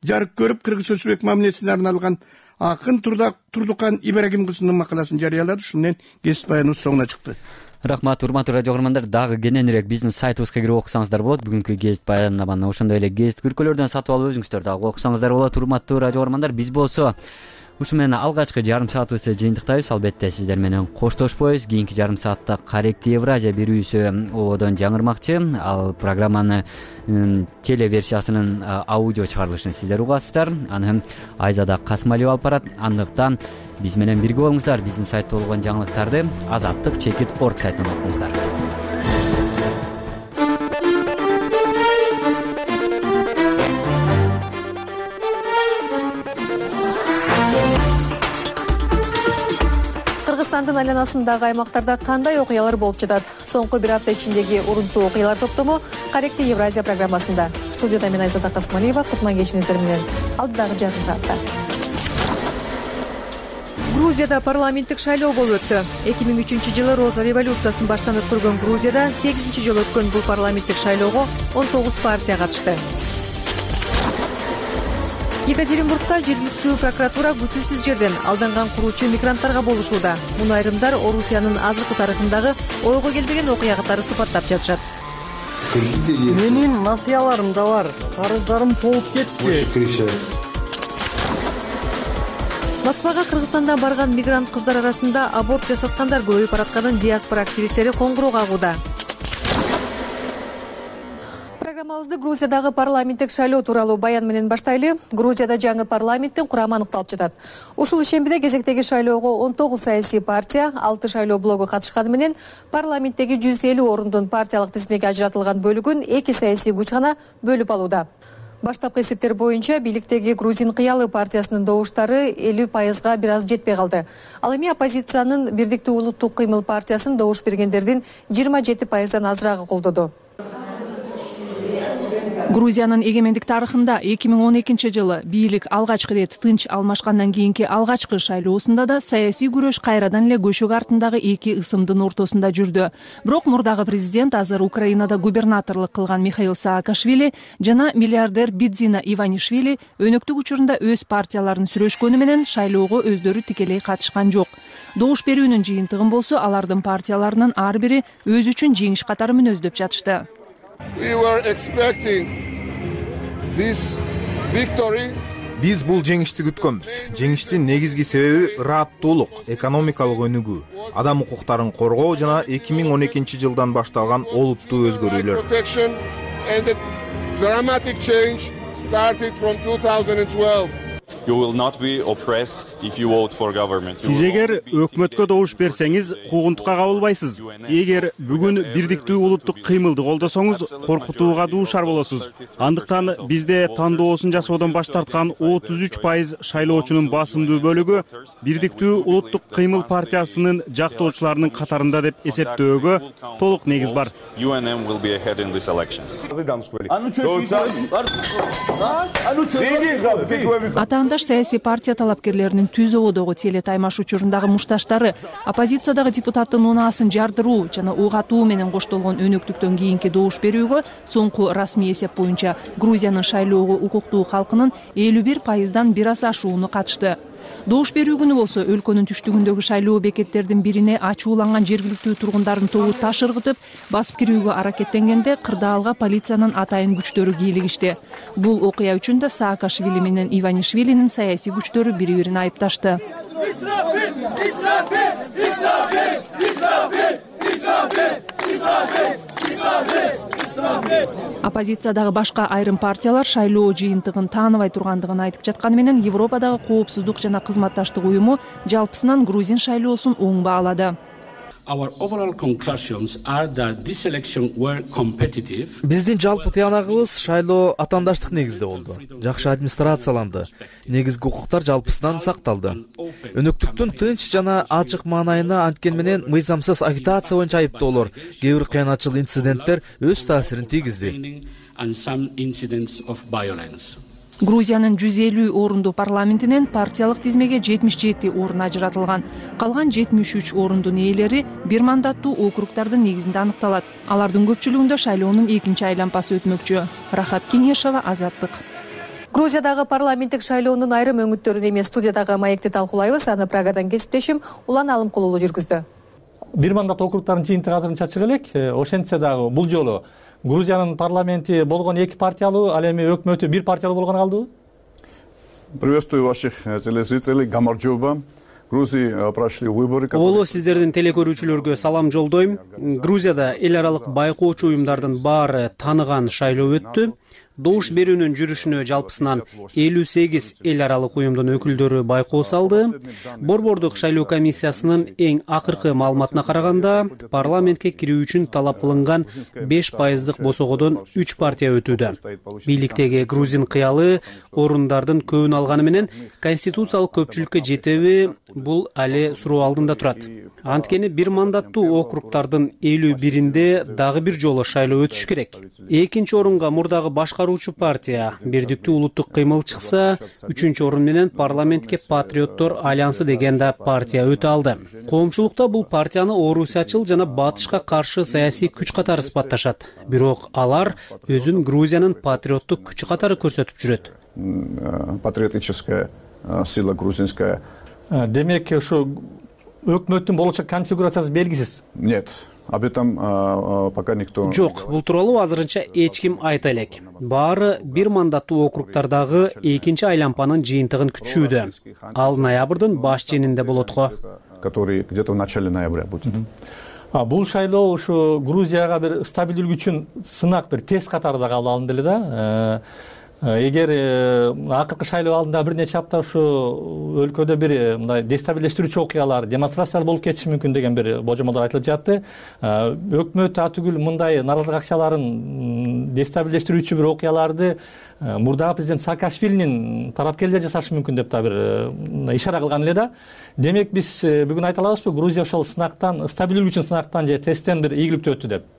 жарык көрүп, кыргыз өчмөк мамилесине арналган акын Турдукан Ибрагим кызынын макаласын жарыялады. Ушунен кесип баяныбыз соңуна чыкты.
Рахмат, урматтуу радио көрөрмандар. Дагы кененирээк биздин сайтыбызга кирип окусаңыздар болот. Бүгүнкү гезит баяннаманы ошондой эле гезит күркөлөрдөн сатып алып өзүңүздөр дагы окусаңыздар болот. Урматтуу радио көрөрмандар, биз болсо ушу менен алгачкы жарым саатыбызды жыйынтыктайбыз. Албетте сиздер менен коштошпойбуз. Кийинки жарым саатта Каректи Евразия берүүсү ободон жаңырмакчы. Ал программаны телеверсиясынын аудио чыгарылышын сиздер угасыздар. Аны Айзада Касмалиева алып барат. Андыктан биз менен бирге болуңуздар. Биздин сайтта болгон жаңылыктарды азаттык чекит орг сайтынан окуңуздар.
Кыргызстандын айланасындагы аймактарда кандай окуялар болуп жатат? Соңку бир апта ичиндеги урунтуу окуялар топтому Каректи Евразия программасында. Студияда мен Айзада Касмалиева, кутман кечиңиздер менен. Алдыдагы жарым саатта. Грузияда парламенттик шайлоо болуп өттү. эки миң үчүнчү жылы Роза революциясын баштан өткөргөн Грузияда сегизинчи жолу өткөн бул парламенттик шайлоого он тогуз партия катышты. Екатеринбургда жергиликтүү прокуратура күтүүсүз жерден алданган куруучу мигранттарга болушууда. Муну айрымдар Орусиянын азыркы тарыхындагы ойго келбеген окуя катары сыпаттап жатышат.
Менин насыяларым да бар. Карыздарым толуп кетти.
Москвага Кыргызстандан барган мигрант кыздар арасында аборт жасаткандар көбөйүп баратканын диаспора активисттери коңгуроо кагууда. Программабызды Грузиядагы парламенттик шайлоо тууралуу баян менен баштайлы. Грузияда жаңы парламенттин курамы аныкталып жатат. Ушул ишембиде кезектеги шайлоого он тогуз саясий партия, алты шайлоо блогу катышканы менен парламенттеги жүз элүү орундун партиялык тизмеге ажыратылган бөлүгүн эки саясий күч гана бөлүп алууда. Баштапкы эсептер боюнча бийликтеги Грузин кыялы партиясынын добуштары элүү пайызга бир аз жетпей калды. Ал эми оппозициянын Бирдиктүү улуттук кыймыл партиясын добуш бергендердин жыйырма жети пайыздан азырагы колдоду.
Грузиянын эгемендик тарыхында эки миң он экинчи жылы бийлик алгачкы ирет тынч алмашкандан кийинки алгачкы шайлоосунда да саясий күрөш кайрадан эле көшөк артындагы эки ысымдын ортосунда жүрдү. Бирок мурдагы президент азыр Украинада губернаторлук кылган Михаил Саакашвили жана миллиардер Бидзина Иванишвили өнөктүк учурунда өз партияларын сүрөшкөнү менен шайлоого өздөрү тикелей катышкан жок. Добуш берүүнүн жыйынтыгын болсо алардын партияларынын ар бири өзү үчүн жеңиш катары мүнөздөп жатышты.
We were expecting this victory.
Биз бул жеңишти күткөнбүз. Жеңиштин негизги себеби ырааттуулук, экономикалык өнүгүү, адам укуктарын коргоо жана эки миң он экинчи жылдан башталган олуттуу өзгөрүүлөр.
You will not be oppressed if you vote for government.
Сиз эгер өкмөткө добуш берсеңиз, куугунтукка кабылбайсыз. Эгер бүгүн бирдиктүү улуттук кыймылды колдосоңуз, коркутууга дуушар болосуз. Андыктан бизде тандоосун жасоодон баш тарткан отуз үч пайыз шайлоочунун басымдуу бөлүгү бирдиктүү улуттук кыймыл партиясынын жактоочуларынын катарында деп эсептөөгө толук негиз бар.
U N M will be ahead in these elections.
Атаандаш саясий партия талапкерлеринин түз ободогу теле таймаш учурундагы мушташтары оппозициядагы депутаттын унаасын жардыруу жана угатуу менен коштолгон өнөктүктөн кийинки добуш берүүгө соңку расмий эсеп боюнча Грузиянын шайлоого укуктуу калкынын элүү бир пайыздан бир аз ашууну катышты. Добуш берүү күнү болсо өлкөнүн түштүгүндөгү шайлоо бекеттердин бирине ачууланган жергиликтүү тургундардын тобу таш ыргытып басып кирүүгө аракеттенгенде кырдаалга полициянын атайын күчтөрү кийлигишти. Бул окуя үчүн да Саакашвили менен Иванишвилинин саясий күчтөрү бири-бирин айыпташты. Оппозициядагы башка айрым партиялар шайлоо жыйынтыгын тааныбай тургандыгын айтып жатканы менен Европадагы коопсуздук жана кызматташтык уюму жалпысынан Грузин шайлоосун оң баалады.
Биздин жалпы тыянагыбыз шайлоо атаандаштык негизде болду. Жакшы администрацияланды. Негизги укуктар жалпысынан сакталды. Өнөктүктүн тынч жана ачык маанайына анткени менен мыйзамсыз агитация боюнча айыптоолор, кээ бир кыянатчыл инциденттер өз таасирин тийгизди.
Грузиянын жүз элүү орундуу парламентинен партиялык тизмеге жетимиш жети орун ажыратылган. Калган жетимиш үч орундун ээлери бир мандаттуу округдардын негизинде аныкталат. Алардын көпчүлүгүндө шайлоонун экинчи айланпасы өтмөкчү. Рахат Кеңешова, Азаттык.
Грузиядагы парламенттик шайлоонун айрым өңүттөрүн эми студиядагы маекти талкуулайбыз. Аны Прагадан кесиптешим Улан Алымкулуулу жүргүздү.
Бир мандат округдардын жыйынтыгы азырынча чыга элек. Ошентсе дагы бул жолу Грузиянын парламенти болгон эки партиялуу, ал эми өкмөтү бир партиялуу болгону калдыбы?
Приветствую ваших телезрителей. Гамарджоба. Грузии прошли выборы.
Оло сиздердин телекөрүүчүлөргө салам жолдойм. Грузияда эл аралык байкоочу уюмдардын баары тааныган шайлоо өттү. Добуш берүүнүн жүрүшүнө жалпысынан элүү сегиз эл аралык уюмдун өкүлдөрү байкоо салды. Борбордук шайлоо комиссиясынын эң акыркы маалыматына караганда, парламентке кирүү үчүн талап кылынган беш пайыздык босогодон үч партия өтүүдө. Бийликтеги грузин кыялы орундардын көбүн алганы менен конституциялык көпчүлүккө жетеби, бул али суроо алдында турат. Анткени бир мандаттуу округдардын элүү биринде дагы бир жолу шайлоо өтүш керек. Экинчи орунга мурдагы башкаруучу партия Бирдиктүү улуттук кыймыл чыкса, үчүнчү орун менен парламентке Патриоттор альянсы деген да партия өтө алды. Коомчулукта бул партияны орусиячыл жана батышка каршы саясий күч катары сыпатташат. Бирок алар өзүн Грузиянын патриоттук күчү катары көрсөтүп жүрөт.
Патриотическая сила грузинская.
Демек, ушу өкмөттүн болочок конфигурациясы белгисиз.
Нет. Об этом пока никто.
Жок, бул тууралуу азырынча эч ким айта элек. Баары бир мандаттуу округдардагы экинчи айланпанын жыйынтыгын күтүшүүдө. Ал ноябрдын баш ченинде болот го.
Который где-то в начале ноября будет.
Бул шайлоо ушу Грузияга бир стабилдүүлүк үчүн сынак, бир тест катары да кабыл алынды эле да. Эгер акыркы шайлоо алдында бир нече апта ушу өлкөдө бир мындай дестабилдештирүүчү окуялар, демонстрациялар болуп кетиши мүмкүн деген бир божомолдор айтылып жатты. Өкмөт атүгүл мындай нааразылык акцияларын дестабилдештирүүчү бир окуяларды мурдагы президент Саакашвилинин тарапкерлери жасашы мүмкүн деп да бир ишара кылган эле да. Демек биз бүгүн айта алабызбы, Грузия ошол сынактан, стабилдүүлүк үчүн сынактан же тесттен бир ийгиликтүү өттү деп?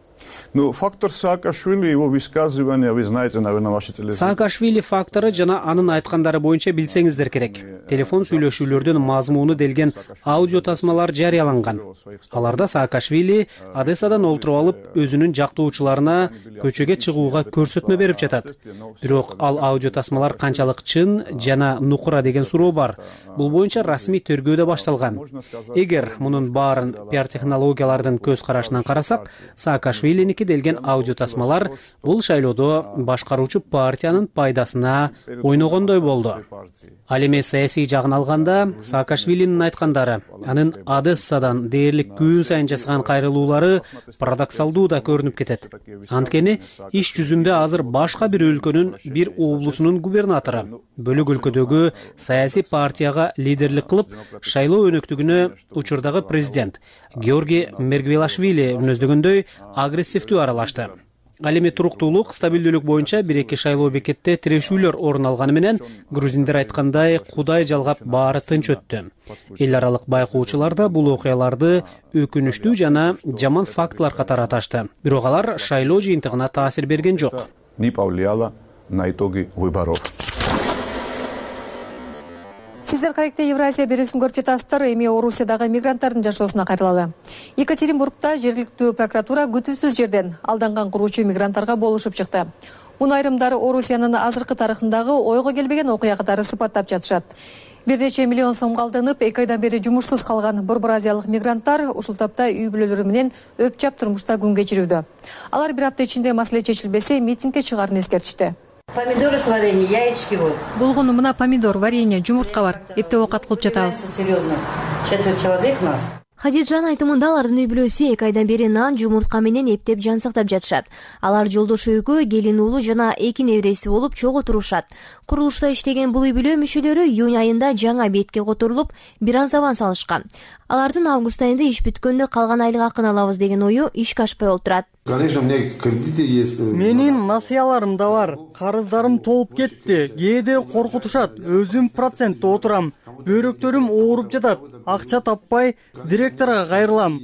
Ну, фактор Саакашвили, его высказывания, вы знаете, наверное, ваши телефоны.
Саакашвили фактору жана анын айткандары боюнча билсеңиздер керек. Телефон сүйлөшүүлөрдүн мазмуну делген аудио тасмалар жарыяланган. Аларда Саакашвили Одессадан олтуруп алып, өзүнүн жактоочуларына көчөгө чыгууга көрсөтмө берип жатат. Бирок ал аудио тасмалар канчалык чын жана нукура деген суроо бар. Бул боюнча расмий тергөө да башталган. Эгер мунун баарын пиар технологиялардын көз карашынан карасак, Саакашвилиники делген аудио тасмалар бул шайлоодо башкаруучу партиянын пайдасына ойногондой болду. Ал эми саясий жагын алганда, Саакашвилинин айткандары, анын Одессадан дээрлик күн сайын жасаган кайрылуулары парадоксалдуу да көрүнүп кетет. Анткени иш жүзүндө азыр башка бир өлкөнүн бир облусунун губернатору бөлөк өлкөдөгү саясий партияга лидерлик кылып, шайлоо өнөктүгүнө учурдагы президент Георгий Мергвелашвили мүнөздөгөндөй агрессивдүү аралашты. Ал эми туруктуулук, стабилдүүлүк боюнча бир-эки шайлоо бекетте тирешүүлөр орун алганы менен, грузиндер айткандай, Кудай жалгап баары тынч өттү. Эл аралык байкоочулар да бул окуяларды өкүнүчтүү жана жаман фактылар катары аташты. Бирок алар шайлоо жыйынтыгына таасир берген жок.
Не повлияло на итоги выборов.
Сиздер кайыкта Евразия берүүсүн көрүп жатасыздар. Эми Орусиядагы мигранттардын жашоосуна кайрылалы. Екатеринбургда жергиликтүү прокуратура күтүүсүз жерден алданган куруучу мигранттарга болушуп чыкты. Муну айрымдары Орусиянын азыркы тарыхындагы ойго келбеген окуя катары сыпаттап жатышат. Бир нече миллион сомго алданып, эки айдан бери жумушсуз калган борбор азиялык мигранттар ушул тапта үй бүлөлөрү менен өпчап турмушта күн кечирүүдө. Алар бир апта ичинде маселе чечилбесе, митингге чыгаарын эскертишти.
Помидоры с вареньем, яички вот.
Болгону мына помидор, варенье, жумуртка бар. Эптеп оокат кылып жатабыз.
Серьезно. Четверть человек нас.
Хадиджан айтымында алардын үй бүлөсү эки айдан бери нан, жумуртка менен эптеп жан сактап жатышат. Алар жолдош экөө, келин уулу жана эки небереси болуп чогуу турушат. Курулушта иштеген бул үй бүлө мүчөлөрү июнь айында жаңа бетке которулуп, бир ан забан салышкан. Алардын август айында иш бүткөндө калган айлык акын алабыз деген ою ишке ашпай олтурат.
Конечно, у меня кредиты есть.
Менин насыяларым да бар. Карыздарым толуп кетти. Кээде коркутушат. Өзүм процентте отурам. Бөйрөктөрүм ооруп жатат. Акча таппай директорго кайрылам.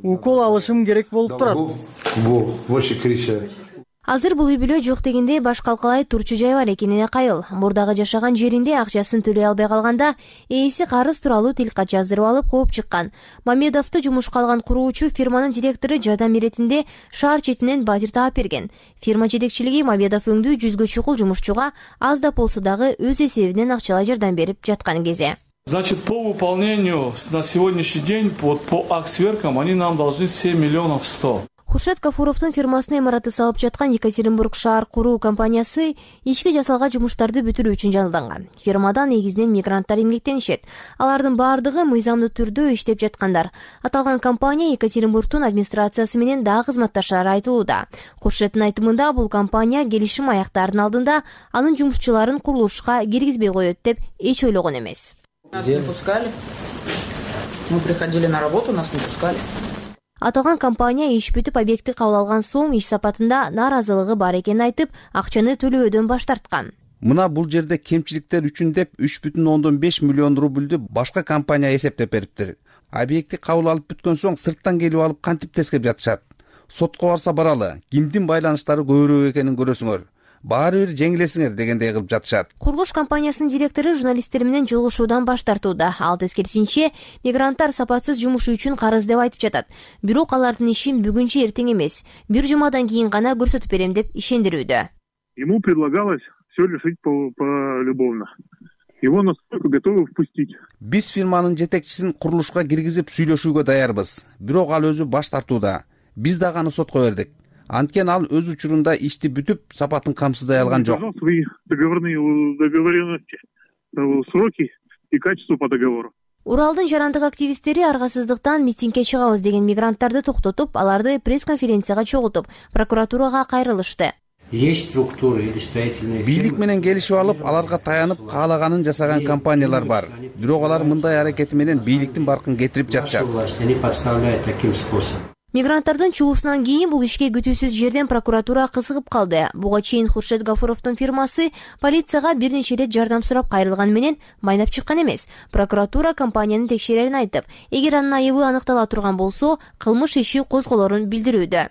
Укол алышым керек болуп турат.
Во, вообще крыша.
Азыр бул үй бүлө жок дегенде баш калкалай турчу жай бар экенине кайыл. Мурдагы жашаган жеринде акчасын төлөй албай калганда ээси карыз тууралуу тилкат жаздырып алып кууп чыккан. Мамедовду жумушка алган куруучу фирманын директору жардам иретинде шаар четинен батир таап берген. Фирма жетекчилиги Мамедов өңдүү жүзгө чукул жумушчуга аз да болсо дагы өз эсебинен акчалай жардам берип жаткан кезде.
Значит, по выполнению на сегодняшний день вот, по аксверкам они нам должны семь миллионов сто.
Куршат Кафуровдун фирмасына имараты салып жаткан Екатеринбург шаар куруу компаниясы ички жасалган жумуштарды бүтүрүү үчүн жалданган. Фирмада негизинен мигранттар эмгектенишет. Алардын баардыгы мыйзамдуу түрдө иштеп жаткандар. Аталган компания Екатеринбургдун администрациясы менен дагы кызматташары айтылууда. Куршаттын айтымында бул компания келишим аяктаардын алдында анын жумушчуларын курулушка киргизбей коет деп эч ойлогон эмес.
Нас не пускали. Мы приходили на работу, нас не пускали.
Аталган компания иш бүтүп объектти кабыл алган соң иш сапатында нааразылыгы бар экенин айтып, акчаны төлөөдөн баш тарткан.
Мына бул жерде кемчиликтер үчүн деп үч бүтүн ондон беш миллион рубльдү башка компания эсептеп бериптир. Объектти кабыл алып бүткөн соң сырттан келип алып кантип тескеп жатышат. Сотко барса баралы, кимдин байланыштары көбүрөөк экенин көрөсүңөр. Баары бир жеңилесиңер дегендей кылып жатышат.
Курулуш компаниясынын директору журналисттер менен жолугушуудан баш тартууда. Ал тескерисинче, мигранттар сапатсыз жумуш үчүн карыз деп айтып жатат. Бирок алардын ишин бүгүнчө эртең эмес, бир жумадан кийин гана көрсөтүп берем деп ишендирүүдө.
Ему предлагалось все решить полюбовно. Его настолько готовы впустить.
Биз фирманын жетекчисин курулушка киргизип сүйлөшүүгө даярбыз. Бирок ал өзү баш тартууда. Биз дагы аны сотко бердик. Анткени ал өз учурунда ишти бүтүп, сапатын камсыздай алган жок.
Договорные договоренности, сроки и качество по договору.
Уралдын жарандык активисттери аргасыздыктан митингге чыгабыз деген мигранттарды токтотуп, аларды пресс-конференцияга чогултуп, прокуратурага кайрылышты.
Есть структуры или строительные.
Бийлик менен келишип алып, аларга таянып, каалаганын жасаган компаниялар бар. Бирок алар мындай аракети менен бийликтин баркын кетирип жатышат.
Они подставляют таким способом.
Мигранттардын чугусунан кийин бул ишке күтүүсүз жерден прокуратура кызыгып калды. Буга чейин Куршат Гафуровдун фирмасы полицияга бир нече ирет жардам сурап кайрылган менен майнап чыккан эмес. Прокуратура компаниянын текшерерин айтып, эгер анын айыбы аныктала турган болсо, кылмыш иши козголорун билдирүүдө.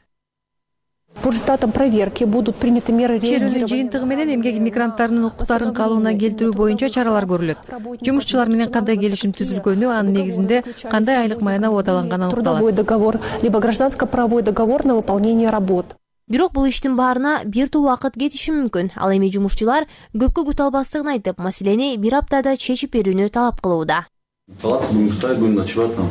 По результатам проверки будут приняты меры
реагирования. Ченүүнүн жыйынтыгы менен эмгек мигранттарынын укуктарын калыбына келтирүү боюнча чаралар көрүлөт. Жумушчулар менен кандай келишим түзүлгөнү, анын негизинде кандай айлык майына убадаланганы аныкталат.
Трудовой договор либо гражданско-правовой договор на выполнение работ.
Бирок бул иштин баарына бир тул убакыт кетиши мүмкүн. Ал эми жумушчулар көпкө күтө албастыгын айтып, маселени бир аптада чечип берүүнү талап кылууда.
Палатка будем ставить, будем ночевать там.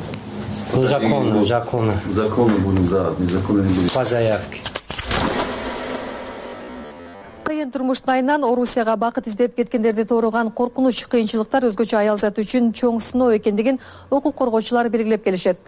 Ну, законно, законно.
Законно будем, да, незаконно не будем.
По заявке.
Кыйын турмуштун айынан Орусияга бакыт издеп кеткендерди торуган коркунуч, кыйынчылыктар өзгөчө аял зат үчүн чоң сыноо экендигин укук коргоочулар белгилеп келишет.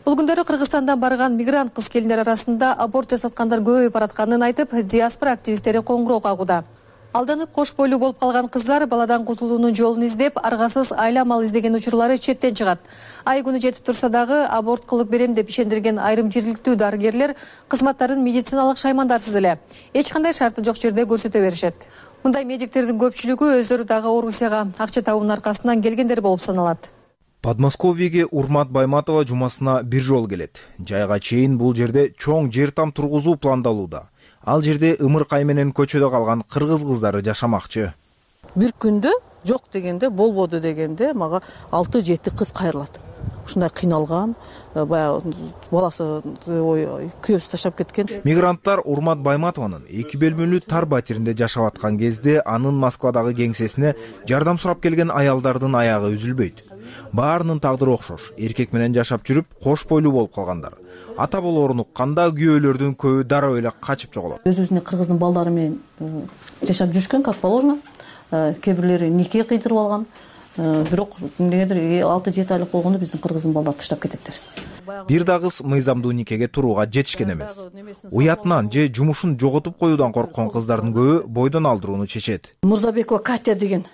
Бул күндөрү Кыргызстандан барган мигрант кыз келиндер арасында аборт жасаткандар көбөйүп баратканын айтып, диаспора активисттери коңгуроо кагууда. Алданып кош бойлуу болуп калган кыздар баладан кутулуунун жолун издеп, аргасыз айла мал издеген учурлары четтен чыгат. Ай күнү жетип турса дагы аборт кылып берем деп ишендирген айрым жергиликтүү дарыгерлер кызматтарын медициналык шаймандарсыз эле эч кандай шарты жок жерде көрсөтө беришет. Мындай медиктердин көпчүлүгү өздөрү дагы Орусияга акча табуунун аркасынан келгендер болуп саналат.
Подмосковьеге Урмат Байматова жумасына бир жол келет. Жайга чейин бул жерде чоң жер там тургузуу пландалууда. Ал жерде ымыркай менен көчөдө калган кыргыз кыздары жашамакчы.
Бир күндө жок дегенде, болбоду дегенде мага алты жети кыз кайрылат. Ушундай кыйналган, баягы баласы күйөөсү таштап кеткен.
Мигранттар Урмат Байматованын эки бөлмөлүү тар батиринде жашап аткан кезде анын Москвадагы кеңсесине жардам сурап келген аялдардын аягы үзүлбөйт. Баарынын тагдыры окшош. Эркек менен жашап жүрүп, кош бойлуу болуп калгандар. Ата болоорун укканда күйөөлөрдүн көбү дароо эле качып жоголот.
Өз-өзүнө кыргыздын балдары менен жашап жүрүшкөн, как положено. Кээ бирлери нике кыйдырып алган. Бирок эмнегедир алты жети айлык болгондо биздин кыргыздын балдары таштап кететтер.
Бир да кыз мыйзамдуу никеге турууга жетишкен эмес. Уятынан же жумушун жоготуп коюудан корккон кыздардын көбү бойдон алдырууну чечет.
Мурзабекова Катя деген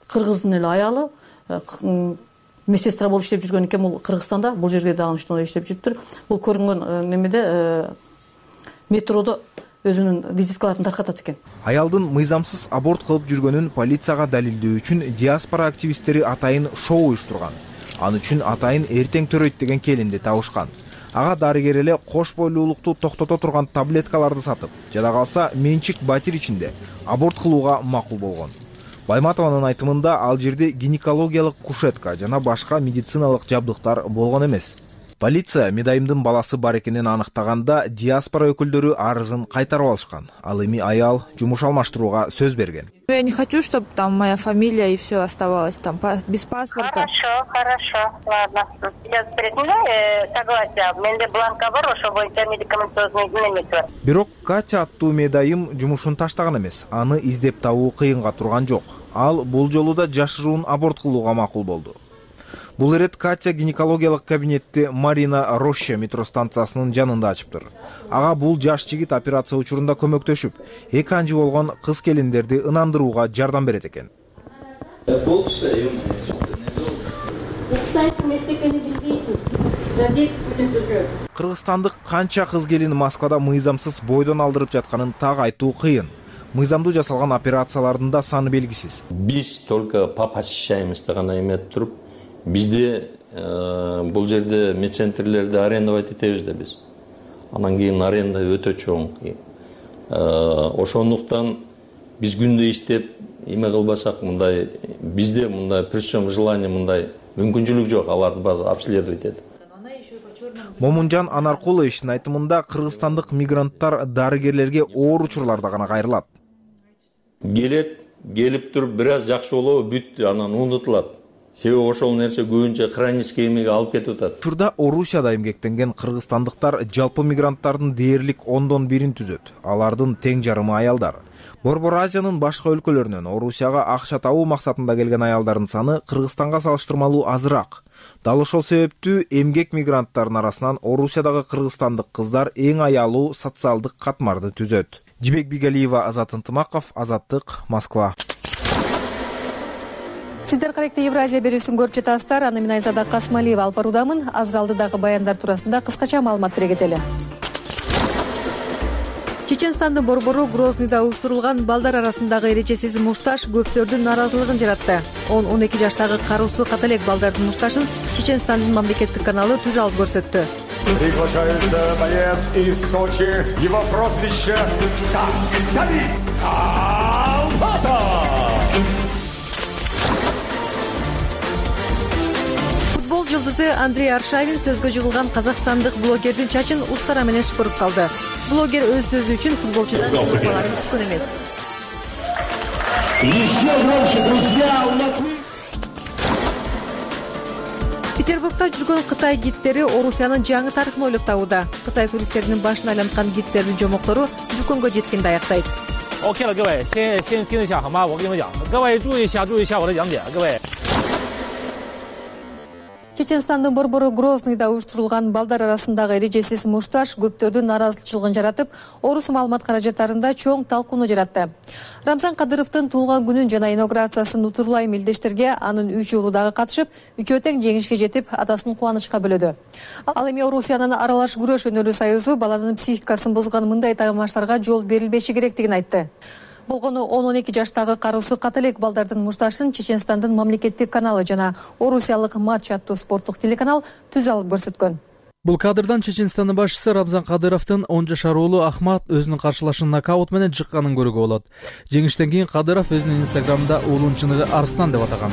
кыргыздын эле аялы медсестра болуп иштеп жүргөн экен. Бул Кыргызстанда, бул жерге дагы ошондой иштеп жүрүптүр. Бул көрүнгөн немеде метродо өзүнүн визиткаларын таркатат экен.
Аялдын мыйзамсыз аборт кылып жүргөнүн полицияга далилдөө үчүн диаспора активисттери атайын шоу уюштурган. Ал үчүн атайын эртең төрөйт деген келинди табышкан. ага дарыгер эле кош бойлуулукту токтото турган таблеткаларды сатып, жада калса менчик батир ичинде аборт кылууга макул болгон. Байматованын айтымында ал жерде гинекологиялык кушетка жана башка медициналык жабдыктар болгон эмес. Полиция Медайымдын баласы бар экенин аныктаганда диаспора өкүлдөрү арызын кайтарып алышкан. Ал эми аял жумуш алмаштырууга сөз берген.
Я не хочу, чтобы там моя фамилия и все оставалось там без паспорта.
Хорошо, хорошо, ладно. Я предъявляю согласие. Менде бланка бар, ошо боюнча медикаментозный немеси бар.
Бирок Катя аттуу медайым жумушун таштаган эмес. Аны издеп табуу кыйынга турган жок. Ал бул жолу да жашыруун аборт кылууга макул болду. Бул ирет Катя гинекологиялык кабинетти Марина Роща метро станциясынын жанында ачыптыр. Ага бул жаш жигит операция учурунда көмөктөшүп, эки анжы болгон кыз келиндерди ынандырууга жардам берет экен. Кыргызстандык канча кыз келин Москвада мыйзамсыз бойдон алдырып жатканын так айтуу кыйын. Мыйзамдуу жасалган операциялардын да саны белгисиз.
Биз только по посещаемости гана эметип туруп, бизде бул жерде медцентрлерди арендовать этебиз да биз. Анан кийин аренда өтө чоң. Ошондуктан биз күндө иштеп, эме кылбасак мындай бизде мындай при всем желании мындай мүмкүнчүлүк жок, аларды баары обследовать этип.
Момунжан Анаркуловичтин айтымында кыргызстандык мигранттар дарыгерлерге оор учурларда гана кайрылат.
Келет, келип туруп бир аз жакшы болобу, бүттү, анан унутулат. Себеби ошол нерсе көбүнчө хронический эмеге алып кетип атат.
Учурда Орусияда эмгектенген кыргызстандыктар жалпы мигранттардын дээрлик ондон бирин түзөт. Алардын тең жарымы аялдар. Борбор Азиянын башка өлкөлөрүнөн Орусияга акча табуу максатында келген аялдардын саны Кыргызстанга салыштырмалуу азыраак. Дал ошол себептүү эмгек мигранттардын арасынан Орусиядагы кыргызстандык кыздар эң аялуу социалдык катмарды түзөт. Жибек Бигалиева, Азат Ынтымаков, Азаттык, Москва.
Сиздер каректе Евразия берүүсүн көрүп жатасыздар. Аны мен Айзада Касмалиева алып баруудамын. Азыр алдыдагы баяндар туурасында кыскача маалымат бере кетели. Чеченстандын борбору Грознийда уюштурулган балдар арасындагы эрежесиз мушташ көптөрдүн нааразылыгын жаратты. он он эки жаштагы кароосу ката элек балдардын мушташын Чеченстандын мамлекеттик каналы түз алып көрсөттү.
Приглашается боец из Сочи. Его прозвище Давид Албатов.
Футбол жылдызы Андрей Аршавин сөзгө жыгылган казакстандык блогердин чачын устара менен шыпырып салды. Блогер өз сөзү үчүн футболчудан жылууларын күткөн эмес.
Еще громче, друзья, у Латвии.
Петербургда жүргөн Кытай гидтери Орусиянын жаңы тарыхын ойлоп табууда. Кытай туристтеринин башын айланткан гидтердин жомоктору дүкөнгө жеткенде аяктайт.
OK 了，各位，先先听一下好吗？我跟你们讲，各位注意一下，注意一下我的讲解，各位。
Чеченстандын борбору Грознийда уюштурулган балдар арасындагы эрежесиз мушташ көптөрдүн нааразычылыгын жаратып, орус маалымат каражаттарында чоң талкууну жаратты. Рамзан Кадыровдун туулган күнүн жана инаугурациясын утурлай мелдештерге анын үч уулу дагы катышып, үчөө тең жеңишке жетип, атасын кубанычка бөлөдү. Ал эми Орусиянын аралаш күрөш өнөрү союзу баланын психикасын бузган мындай тагмаштарга жол берилбеши керектигин айтты. Болгону он он эки жаштагы кароосу ката элек балдардын мушташын Чеченстандын мамлекеттик каналы жана Орусиялык матч аттуу спорттук телеканал түз алып көрсөткөн.
Бул кадрдан Чеченстандын башчысы Рамзан Кадыровдун он жашар уулу Ахмат өзүнүн каршылашын нокаут менен жыкканын көрүүгө болот. Жеңиштен кийин Кадыров өзүнүн инстаграмда уулунун чыныгы Арстан деп атаган.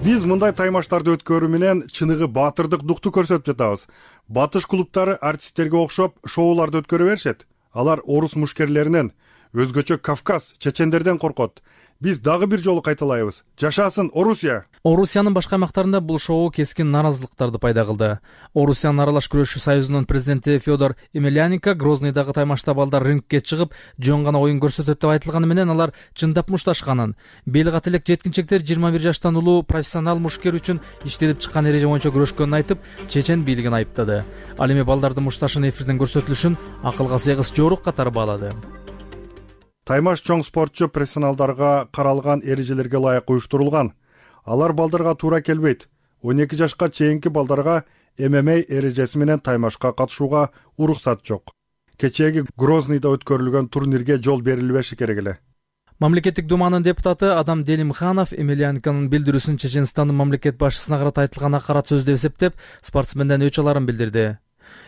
Биз мындай таймаштарды өткөрүү менен чыныгы баатырдык дукту көрсөтүп жатабыз. Батыш клубтары артисттерге окшоп шоуларды өткөрө беришет. Алар орус мушкерлеринен, өзгөчө Кавказ, чечендерден коркот. Биз дагы бир жолу кайталайбыз. Жашасын Орусия!
Орусиянын башка аймактарында бул шоу кескин нааразылыктарды пайда кылды. Орусиянын аралаш күрөшүү союзунун президенти Федор Емельяненко Грознийдагы таймашта балдар рингке чыгып, жөн гана оюн көрсөтөт деп айтылганы менен алар чындап мушташканын, бел ката элек жеткинчектер жыйырма бир жаштан улуу профессионал мушкер үчүн иштелип чыккан эреже боюнча күрөшкөнүн айтып, чечен бийлигин айыптады. Ал эми балдардын мушташын эфирден көрсөтүлүшүн акылга сыйгыс жорук катары баалады.
Таймаш чоң спортчу профессионалдарга каралган эрежелерге ылайык уюштурулган. Алар балдарга туура келбейт. он эки жашка чейинки балдарга эм эм а эрежеси менен таймашка катышууга уруксат жок. Кечээги Грознийда өткөрүлгөн турнирге жол берилбеши керек эле.
Мамлекеттик думанын депутаты Адам Делимханов Емельяненконун билдирүүсүн Чеченстандын мамлекет башчысына карата айтылган акарат сөз деп эсептеп, спортсменден өч аларын билдирди.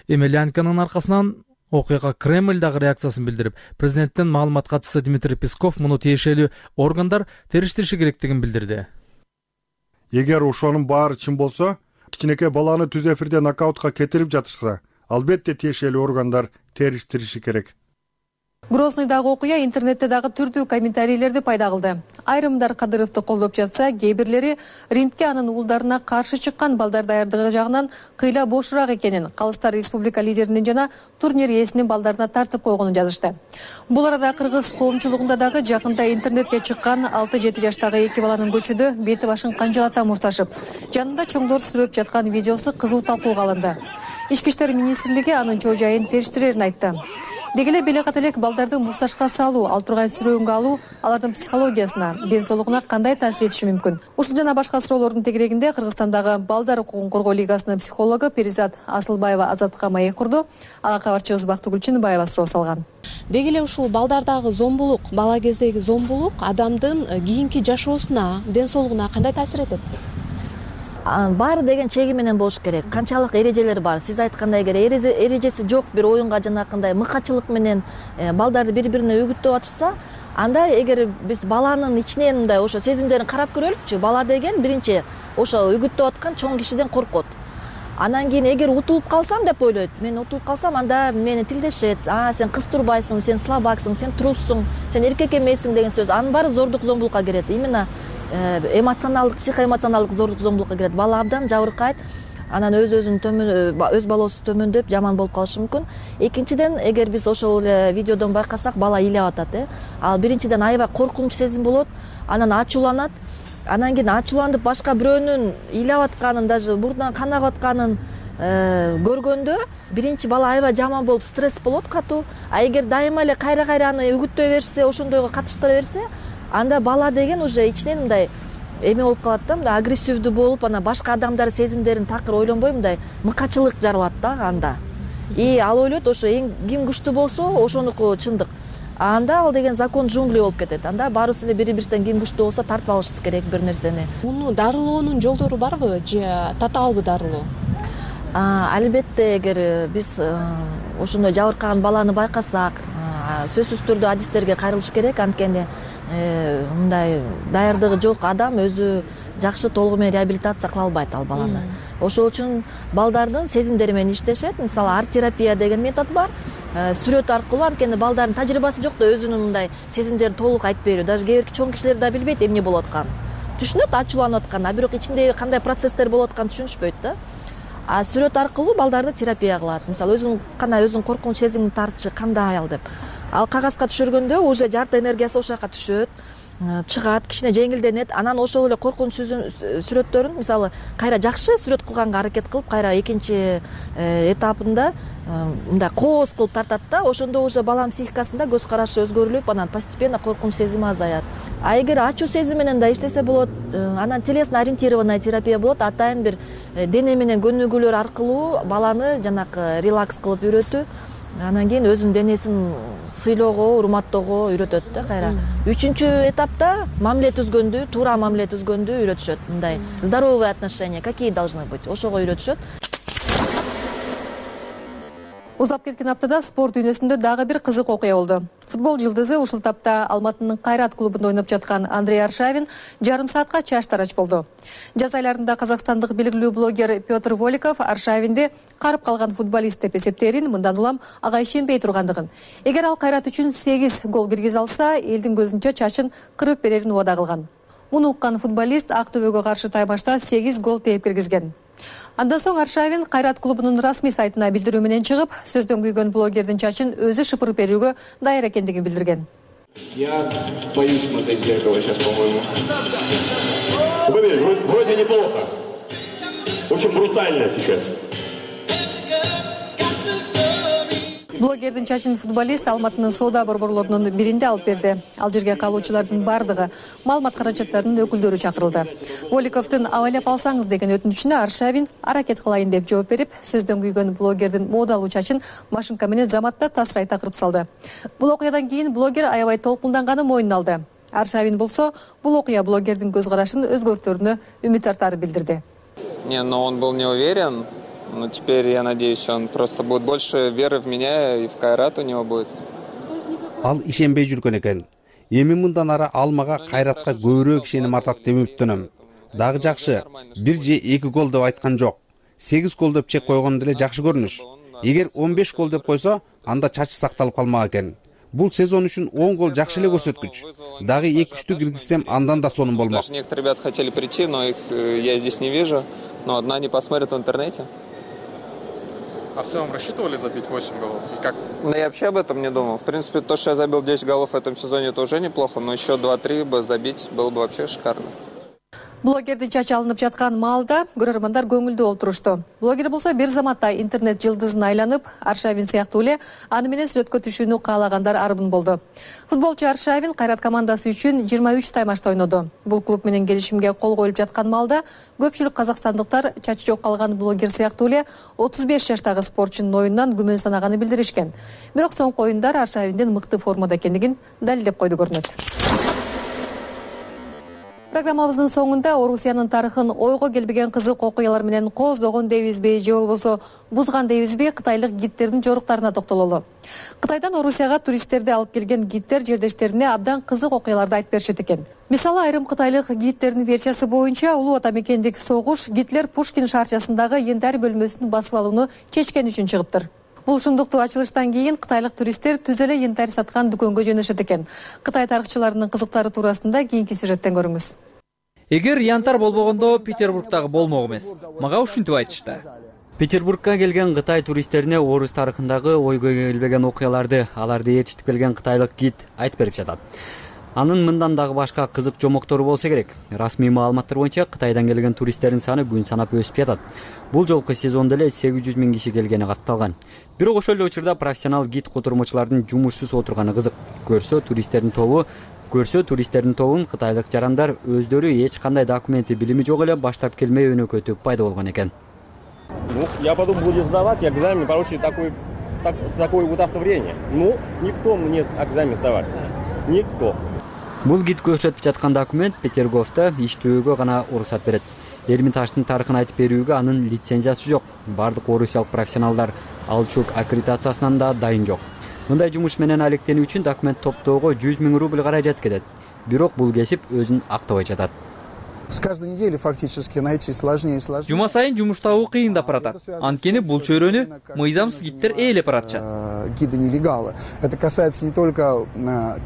Емельяненконун аркасынан окуяга Кремль дагы реакциясын билдирип, президенттин маалымат катчысы Дмитрий Песков муну тиешелүү органдар териштириши керектигин билдирди.
Эгер ошонун баары чын болсо, кичинекей баланы түз эфирде нокаутка кетирип жатышса, албетте тиешелүү органдар териштириши керек.
Грозныйдагы окуя интернетте дагы түрдүү комментарийлерди пайда кылды. Айрымдар Кадыровду колдоп жатса, кээ бирлери рингке анын уулдарына каршы чыккан балдар даярдыгы жагынан кыйла бошураак экенин, Калыстар республика лидеринин жана турнир ээсинин балдарына тартып койгонун жазышты. Бул арада кыргыз коомчулугунда дагы жакында интернетке чыккан алты жети жаштагы эки баланын көчөдө бети башын канжалата мушташып, жанында чоңдор сүрөп жаткан видеосу кызуу талкууга алынды. Ички иштер министрлиги анын чоо жайын териштирерин айтты. Деги эле белекат элек балдарды мушташка салуу, ал тургай сүрөөнгө алуу алардын психологиясына, ден соолугуна кандай таасир этиши мүмкүн? Ушул жана башка суроолордун тегерегинде Кыргызстандагы Балдар укугун коргоо лигасынын психологу Перизат Асылбаева Азаттыкка маек курду. Ага кабарчыбыз Бактыгүл Чыныбаева суроо салган.
Деги эле ушул балдардагы зомбулук, бала кездеги зомбулук адамдын кийинки жашоосуна, ден соолугуна кандай таасир этет?
Баары деген чеги менен болуш керек. Канчалык эрежелер бар. Сиз айткандай, эгер эрежеси жок бир оюнга жанакындай мыкачылык менен балдарды бири-бирине үгүттөп атышса, анда эгер биз баланын ичинен мындай ошо сезимдерин карап көрөлүкчү. Бала деген биринчи ошо үгүттөп аткан чоң кишиден коркот. Анан кийин эгер утулуп калсам деп ойлойт. Мен утулуп калсам, анда мени тилдешет. А, сен кыз турбайсың, сен слабаксың, сен труссуң, сен эркек эмессиң деген сөз. Анын баары зордук зомбулукка кирет. Именно эмоционалдык, психоэмоционалдык зордук зомбулукка кирет. Бала абдан жабыркайт, анан өз өзүн төмөн, өз балоосу төмөндөп, жаман болуп калышы мүмкүн. Экинчиден, эгер биз ошол эле видеодон байкасак, бала ыйлап атат, э. Ал биринчиден аябай коркунуч сезим болот, анан ачууланат, анан кийин ачууланып башка бирөөнүн ыйлап атканын, даже мурдунан кан агып атканын көргөндө, биринчи бала аябай жаман болуп, стресс болот катуу. А эгер дайыма эле кайра-кайра аны үгүттөй берсе, ошондойго катыштыра берсе, анда бала деген уже ичинен мындай эме болуп калат да, мындай агрессивдүү болуп, анан башка адамдар сезимдерин такыр ойлонбой мындай мыкачылык жаралат да анда. И ал ойлойт, ошо эң ким күчтүү болсо, ошонуку чындык. А анда ал деген закон джунглей болуп кетет. Анда баарыбыз эле бири-бирибизден ким күчтүү болсо тартып алышыбыз керек бир нерсени.
Муну дарылоонун жолдору барбы же татаалбы дарылоо?
Албетте, эгер биз ошондой жабыркаган баланы байкасак, сөзсүз түрдө адистерге кайрылыш керек. Анткени мындай даярдыгы жок адам өзү жакшы толугу менен реабилитация кыла албайт ал баланы. Ошол үчүн балдардын сезимдери менен иштешет. Мисалы, арт-терапия деген метод бар. Сүрөт аркылуу, анткени балдардын тажрыйбасы жок да өзүнүн мындай сезимдерин толук айтып берүү. Даже кээ бирки чоң кишилер да билбейт эмне болуп атканын. Түшүнөт ачууланып атканын, а бирок ичинде кандай процесстер болуп атканын түшүнүшпөйт да. А сүрөт аркылуу балдарды терапия кылат. Мисалы, өзүн кандай өзүн коркунуч сезимин тартчы кандай ал деп. Ал кагазга түшүргөндө уже жарты энергиясы ошол жака түшөт, чыгат, кичине жеңилденет. Анан ошол эле коркунуч сүрөттөрүн, мисалы, кайра жакшы сүрөт кылганга аракет кылып, кайра экинчи этапында мындай кооз кылып тартат да. Ошондо уже баланын психикасында көз карашы өзгөрүлүп, анан постепенно коркунуч сезими азаят. А эгер ачуу сезим менен да иштесе болот, анан телесно ориентированная терапия болот. Атайын бир дене менен көнүгүүлөр аркылуу баланы жанакы релакс кылып үйрөтүү. Анан кийин өзүнүн денесин сыйлоого, урматтоого үйрөтөт да кайра. Үчүнчү этапта мамиле түзгөндү, туура мамиле түзгөндү үйрөтүшөт. Мындай здоровые отношения какие должны быть, ошого үйрөтүшөт.
Узап кеткен аптада спорт дүйнөсүндө дагы бир кызык окуя болду. Футбол жылдызы ушул тапта Алматынын Кайрат клубунда ойноп жаткан Андрей Аршавин жарым саатка чач тарач болду. Жаз айларында казакстандык белгилүү блогер Петр Воликов Аршавинди карып калган футболист деп эсептээрин, мындан улам ага ишенбей тургандыгын. Эгер ал Кайрат үчүн сегиз гол киргизе алса, элдин көзүнчө чачын кырып берерин убада кылган. Муну уккан футболист Ак Төбөгө каршы таймашта сегиз гол тээп киргизген. Андан соң Аршавин Кайрат клубунун расмий сайтына билдирүү менен чыгып, сөздөн күйгөн блогердин чачын өзү шыпырып берүүгө даяр экендигин билдирген.
Я боюсь смотреть в зеркало сейчас, по-моему. Смотри, вроде неплохо. Очень брутально сейчас.
Блогердин чачын футболист Алматынын соода борборлорунун биринде алып берди. Ал жерге калуучулардын бардыгы маалымат каражаттарынын өкүлдөрү чакырылды. Воликовдун абайлап алсаңыз деген өтүнүчүнө Аршавин аракет кылайын деп жооп берип, сөздөн күйгөн блогердин модалуу чачын машинка менен заматта тасырайта кырып салды. Бул окуядан кийин блогер аябай толкунданганын мойнуна алды. Аршавин болсо бул окуя блогердин көз карашын өзгөртөрүнө үмүт артарын билдирди.
Не, но он был не уверен, но теперь я надеюсь, он просто будет больше веры в меня и в Кайрат у него будет.
Ал ишенбей жүргөн экен. Эми мындан ары ал мага Кайратка көбүрөөк ишеним артат деп үмүттөнөм. Дагы жакшы, бир же эки гол деп айткан жок. сегиз гол деп чек койгон деле жакшы көрүнүш. Эгер он беш гол деп койсо, анда чачы сакталып калмак экен. Бул сезон үчүн он гол жакшы эле көрсөткүч. Дагы эки үчтү киргизсем, андан да сонун болмок.
Даже некоторые ребята хотели прийти, но их я здесь не вижу. Но одна не посмотрят в интернете.
А в целом рассчитывали забить восемь голов? И как?
Да я вообще об этом не думал. В принципе, то, что я забил десять голов в этом сезоне, это уже неплохо, но еще два-три бы забить было бы вообще шикарно.
Блогердин чачы алынып жаткан маалда көрөрмандар көңүлдүү олтурушту. Блогер болсо бир заматта интернет жылдызын айланып, Аршавин сыяктуу эле аны менен сүрөткө түшүүнү каалагандар арбын болду. Футболчу Аршавин Кайрат командасы үчүн жыйырма үч таймашта ойноду. Бул клуб менен келишимге кол коюлуп жаткан маалда көпчүлүк казакстандыктар чачы жок калган блогер сыяктуу эле отуз беш жаштагы спортчунун оюнунан күмөн санаганы билдиришкен. Бирок соңку оюндар Аршавиндин мыкты формада экендигин далилдеп койду көрүнөт. Программабыздын соңунда Орусиянын тарыхын ойго келбеген кызык окуялар менен кооздогон дейбизби же болбосо бузган дейбизби кытайлык гидтердин жоруктарына токтололу. Кытайдан Орусияга туристтерди алып келген гидтер жердештерине абдан кызык окуяларды айтып беришет экен. Мисалы, айрым кытайлык гидтердин версиясы боюнча улуу ата мекендик согуш Гитлер Пушкин шаарчасындагы янтарь бөлмөсүн басып алууну чечкен үчүн чыгыптыр. Бул шундуктуу ачылыштан кийин кытайлык туристтер түз эле янтарь саткан дүкөнгө жөнөшөт экен. Кытай тарыхчыларынын кызыктары туурасында кийинки сюжеттен көрүңүз.
Эгер янтар болбогондо Петербургдагы болмок эмес. Мага ушинтип айтышты.
Петербургка келген Кытай туристтерине орус тарыхындагы ойго келбеген окуяларды, аларды ээрчитип келген кытайлык гид айтып берип жатат. Анын мындан дагы башка кызык жомоктору болсо керек. Расмий маалыматтар боюнча Кытайдан келген туристтердин саны күн санап өсүп жатат. Бул жолку сезондо эле сегиз жүз миң киши келгени катталган. Бирок ошол эле учурда профессионал гид котурмачылардын жумушсуз отурганы кызык. Көрсө туристтердин тобу Көрсө туристтердин тобун кытайлык жарандар өздөрү эч кандай документи билими жок эле баштап келмей өнөкөтүп пайда болгон экен.
Ну, я потом буду сдавать экзамен, получить такой, так, такое удостоверение. Ну, никто мне экзамен сдавать. Никто.
Бул гид көрсөтүп жаткан документ Петерговто иштөөгө гана уруксат берет. Эрмитаждын тарыхын айтып берүүгө анын лицензиясы жок. Бардык орусиялык профессионалдар алчук аккредитациясынан да дайын жок. Мындай жумуш менен алектенүү үчүн документ топтоого жүз миң рубль каражат кетет. Бирок бул кесип өзүн актабай жатат.
С каждой недели фактически найти сложнее и сложнее.
Жума сайын жумуш табуу кыйындап баратат. Анткени бул чөйрөнү мыйзамсыз гидтер ээлеп баратышат.
Гиды нелегалы. Это касается не только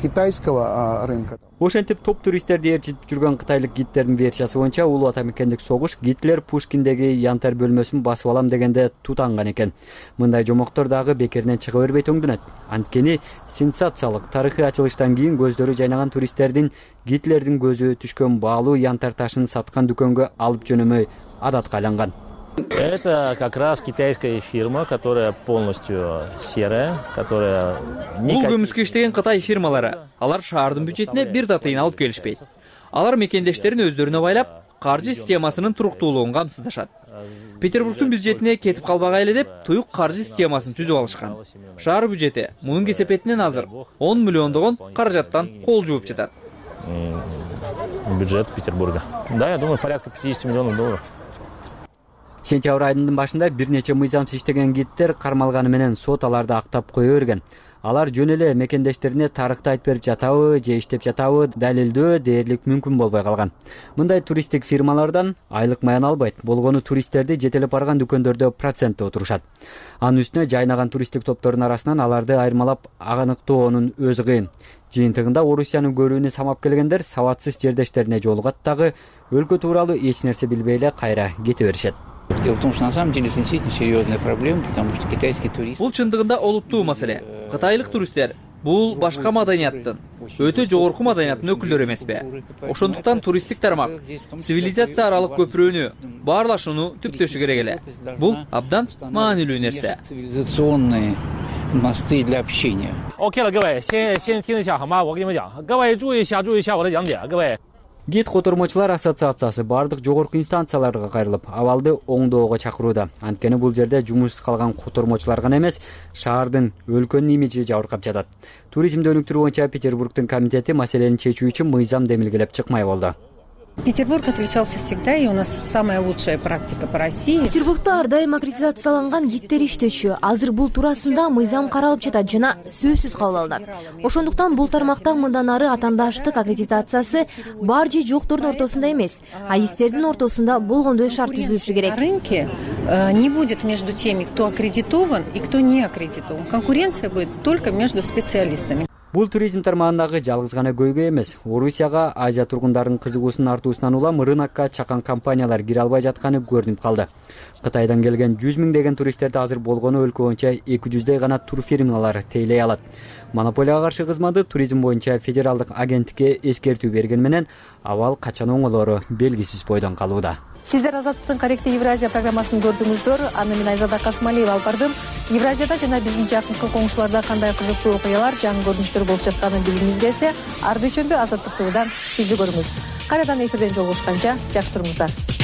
китайского рынка.
Ошентип топ туристтерди ээрчитип жүргөн кытайлык гидтердин версиясы боюнча улуу ата мекендик согуш Гитлер Пушкиндеги янтарь бөлмөсүн басып алам дегенде тутанган экен. Мындай жомоктор дагы бекеринен чыга бербей төңдөнөт. Анткени сенсациялык тарыхый ачылыштан кийин көздөрү жайнаган туристтердин Гитлердин көзү түшкөн баалуу янтарь ташын саткан дүкөнгө алып жөнөмөй адатка айланган.
Это как раз китайская фирма, которая полностью серая, которая...
Бул көмүскө иштеген Кытай фирмалары. Алар шаардын бюджетине бир да тыйын алып келишпейт. Алар мекендештерин өздөрүнө байлап, каржы системасынын туруктуулугун камсыздашат. Петербургдун бюджетине кетип калбагай эле деп, туюк каржы системасын түзүп алышкан. Шаар бюджети мунун кесепетинен азыр он миллиондогон каражаттан кол жууп жатат.
Бюджет Петербурга. Да, я думаю, порядка пятьдесят миллионов долларов.
Сентябрь айынын башында бир нече мыйзамсыз иштеген гидтер кармалганы менен сот аларды актап кое берген. Алар жөн эле мекендештерине тарыхты айтып берип жатабы же иштеп жатабы далилдөө дээрлик мүмкүн болбой калган. Мындай туристтик фирмалардан айлык маян албайт. Болгону туристтерди жетелеп барган дүкөндөрдө процентте отурушат. Анын үстүнө жайнаган туристтик топтордун арасынан аларды айырмалап аныктоонун өзү кыйын. Жыйынтыгында Орусияны көрүүнү самап келгендер сабатсыз жердештерине жолугат дагы өлкө тууралуу эч нерсе билбей эле кайра кете беришет.
Дело в том, что на самом деле это действительно серьезная проблема, потому что китайский турист...
Бул чындыгында олуттуу маселе. Кытайлык туристтер бул башка маданияттын, өтө жогорку маданияттын өкүлдөрү эмеспи? Ошондуктан туристтик тармак цивилизация аралык көпүрөнү, баарлашууну түптөшү керек эле. Бул абдан маанилүү нерсе.
Цивилизационные мосты для общения.
Окей, 各位，先先听一下好吗？我跟你们讲，各位注意一下，注意一下我的讲解，各位。
гид котормочулар ассоциациясы бардык жогорку инстанцияларга кайрылып абалды оңдоого чакырууда. Анткени бул жерде жумушсуз калган котормочулар гана эмес, шаардын, өлкөнүн имиджи жабыркап жатат. Туризмди өнүктүрүү боюнча Петербургдун комитети маселени чечүү үчүн мыйзам демилгелеп чыкмай болду.
Петербург отличался всегда, и у нас самая лучшая практика по России.
Петербургда ар дайым аккредитацияланган гидтер иштечү. Азыр бул туурасында мыйзам каралып жатат жана сөзсүз кабыл алынат. Ошондуктан бул тармакта мындан ары атаандаштык аккредитациясы бар же жоктордун ортосунда эмес, адистердин ортосунда болгондой шарт түзүлүшү керек.
На рынке не будет между теми, кто аккредитован и кто не аккредитован. Конкуренция будет только между специалистами.
Бул туризм тармагындагы жалгыз гана көйгөй эмес. Орусияга Азия тургундарынын кызыгуусунун артуусунан улам рынокко чакан компаниялар кире албай жатканы көрүнүп калды. Кытайдан келген жүз миңдеген туристтерди азыр болгону өлкө боюнча эки жүздөй гана тур фирмалары тейлей алат. Монополияга каршы кызматы туризм боюнча федералдык агенттикке эскертүү берген менен абал качан оңолору белгисиз бойдон калууда.
Сиздер Азаттыктын Корректив Евразия программасын көрдүңүздөр. Аны мен Айзада Касмалиева алып бардым. Евразияда жана биздин жакынкы коңшуларда кандай кызыктуу окуялар, жаңы көрүнүштөр болуп жатканын билгиңиз келсе, ар дүйшөмбү Азаттык ТVдан бизди көрүңүз. Кайрадан эфирден жолугушканча жакшы туруңуздар.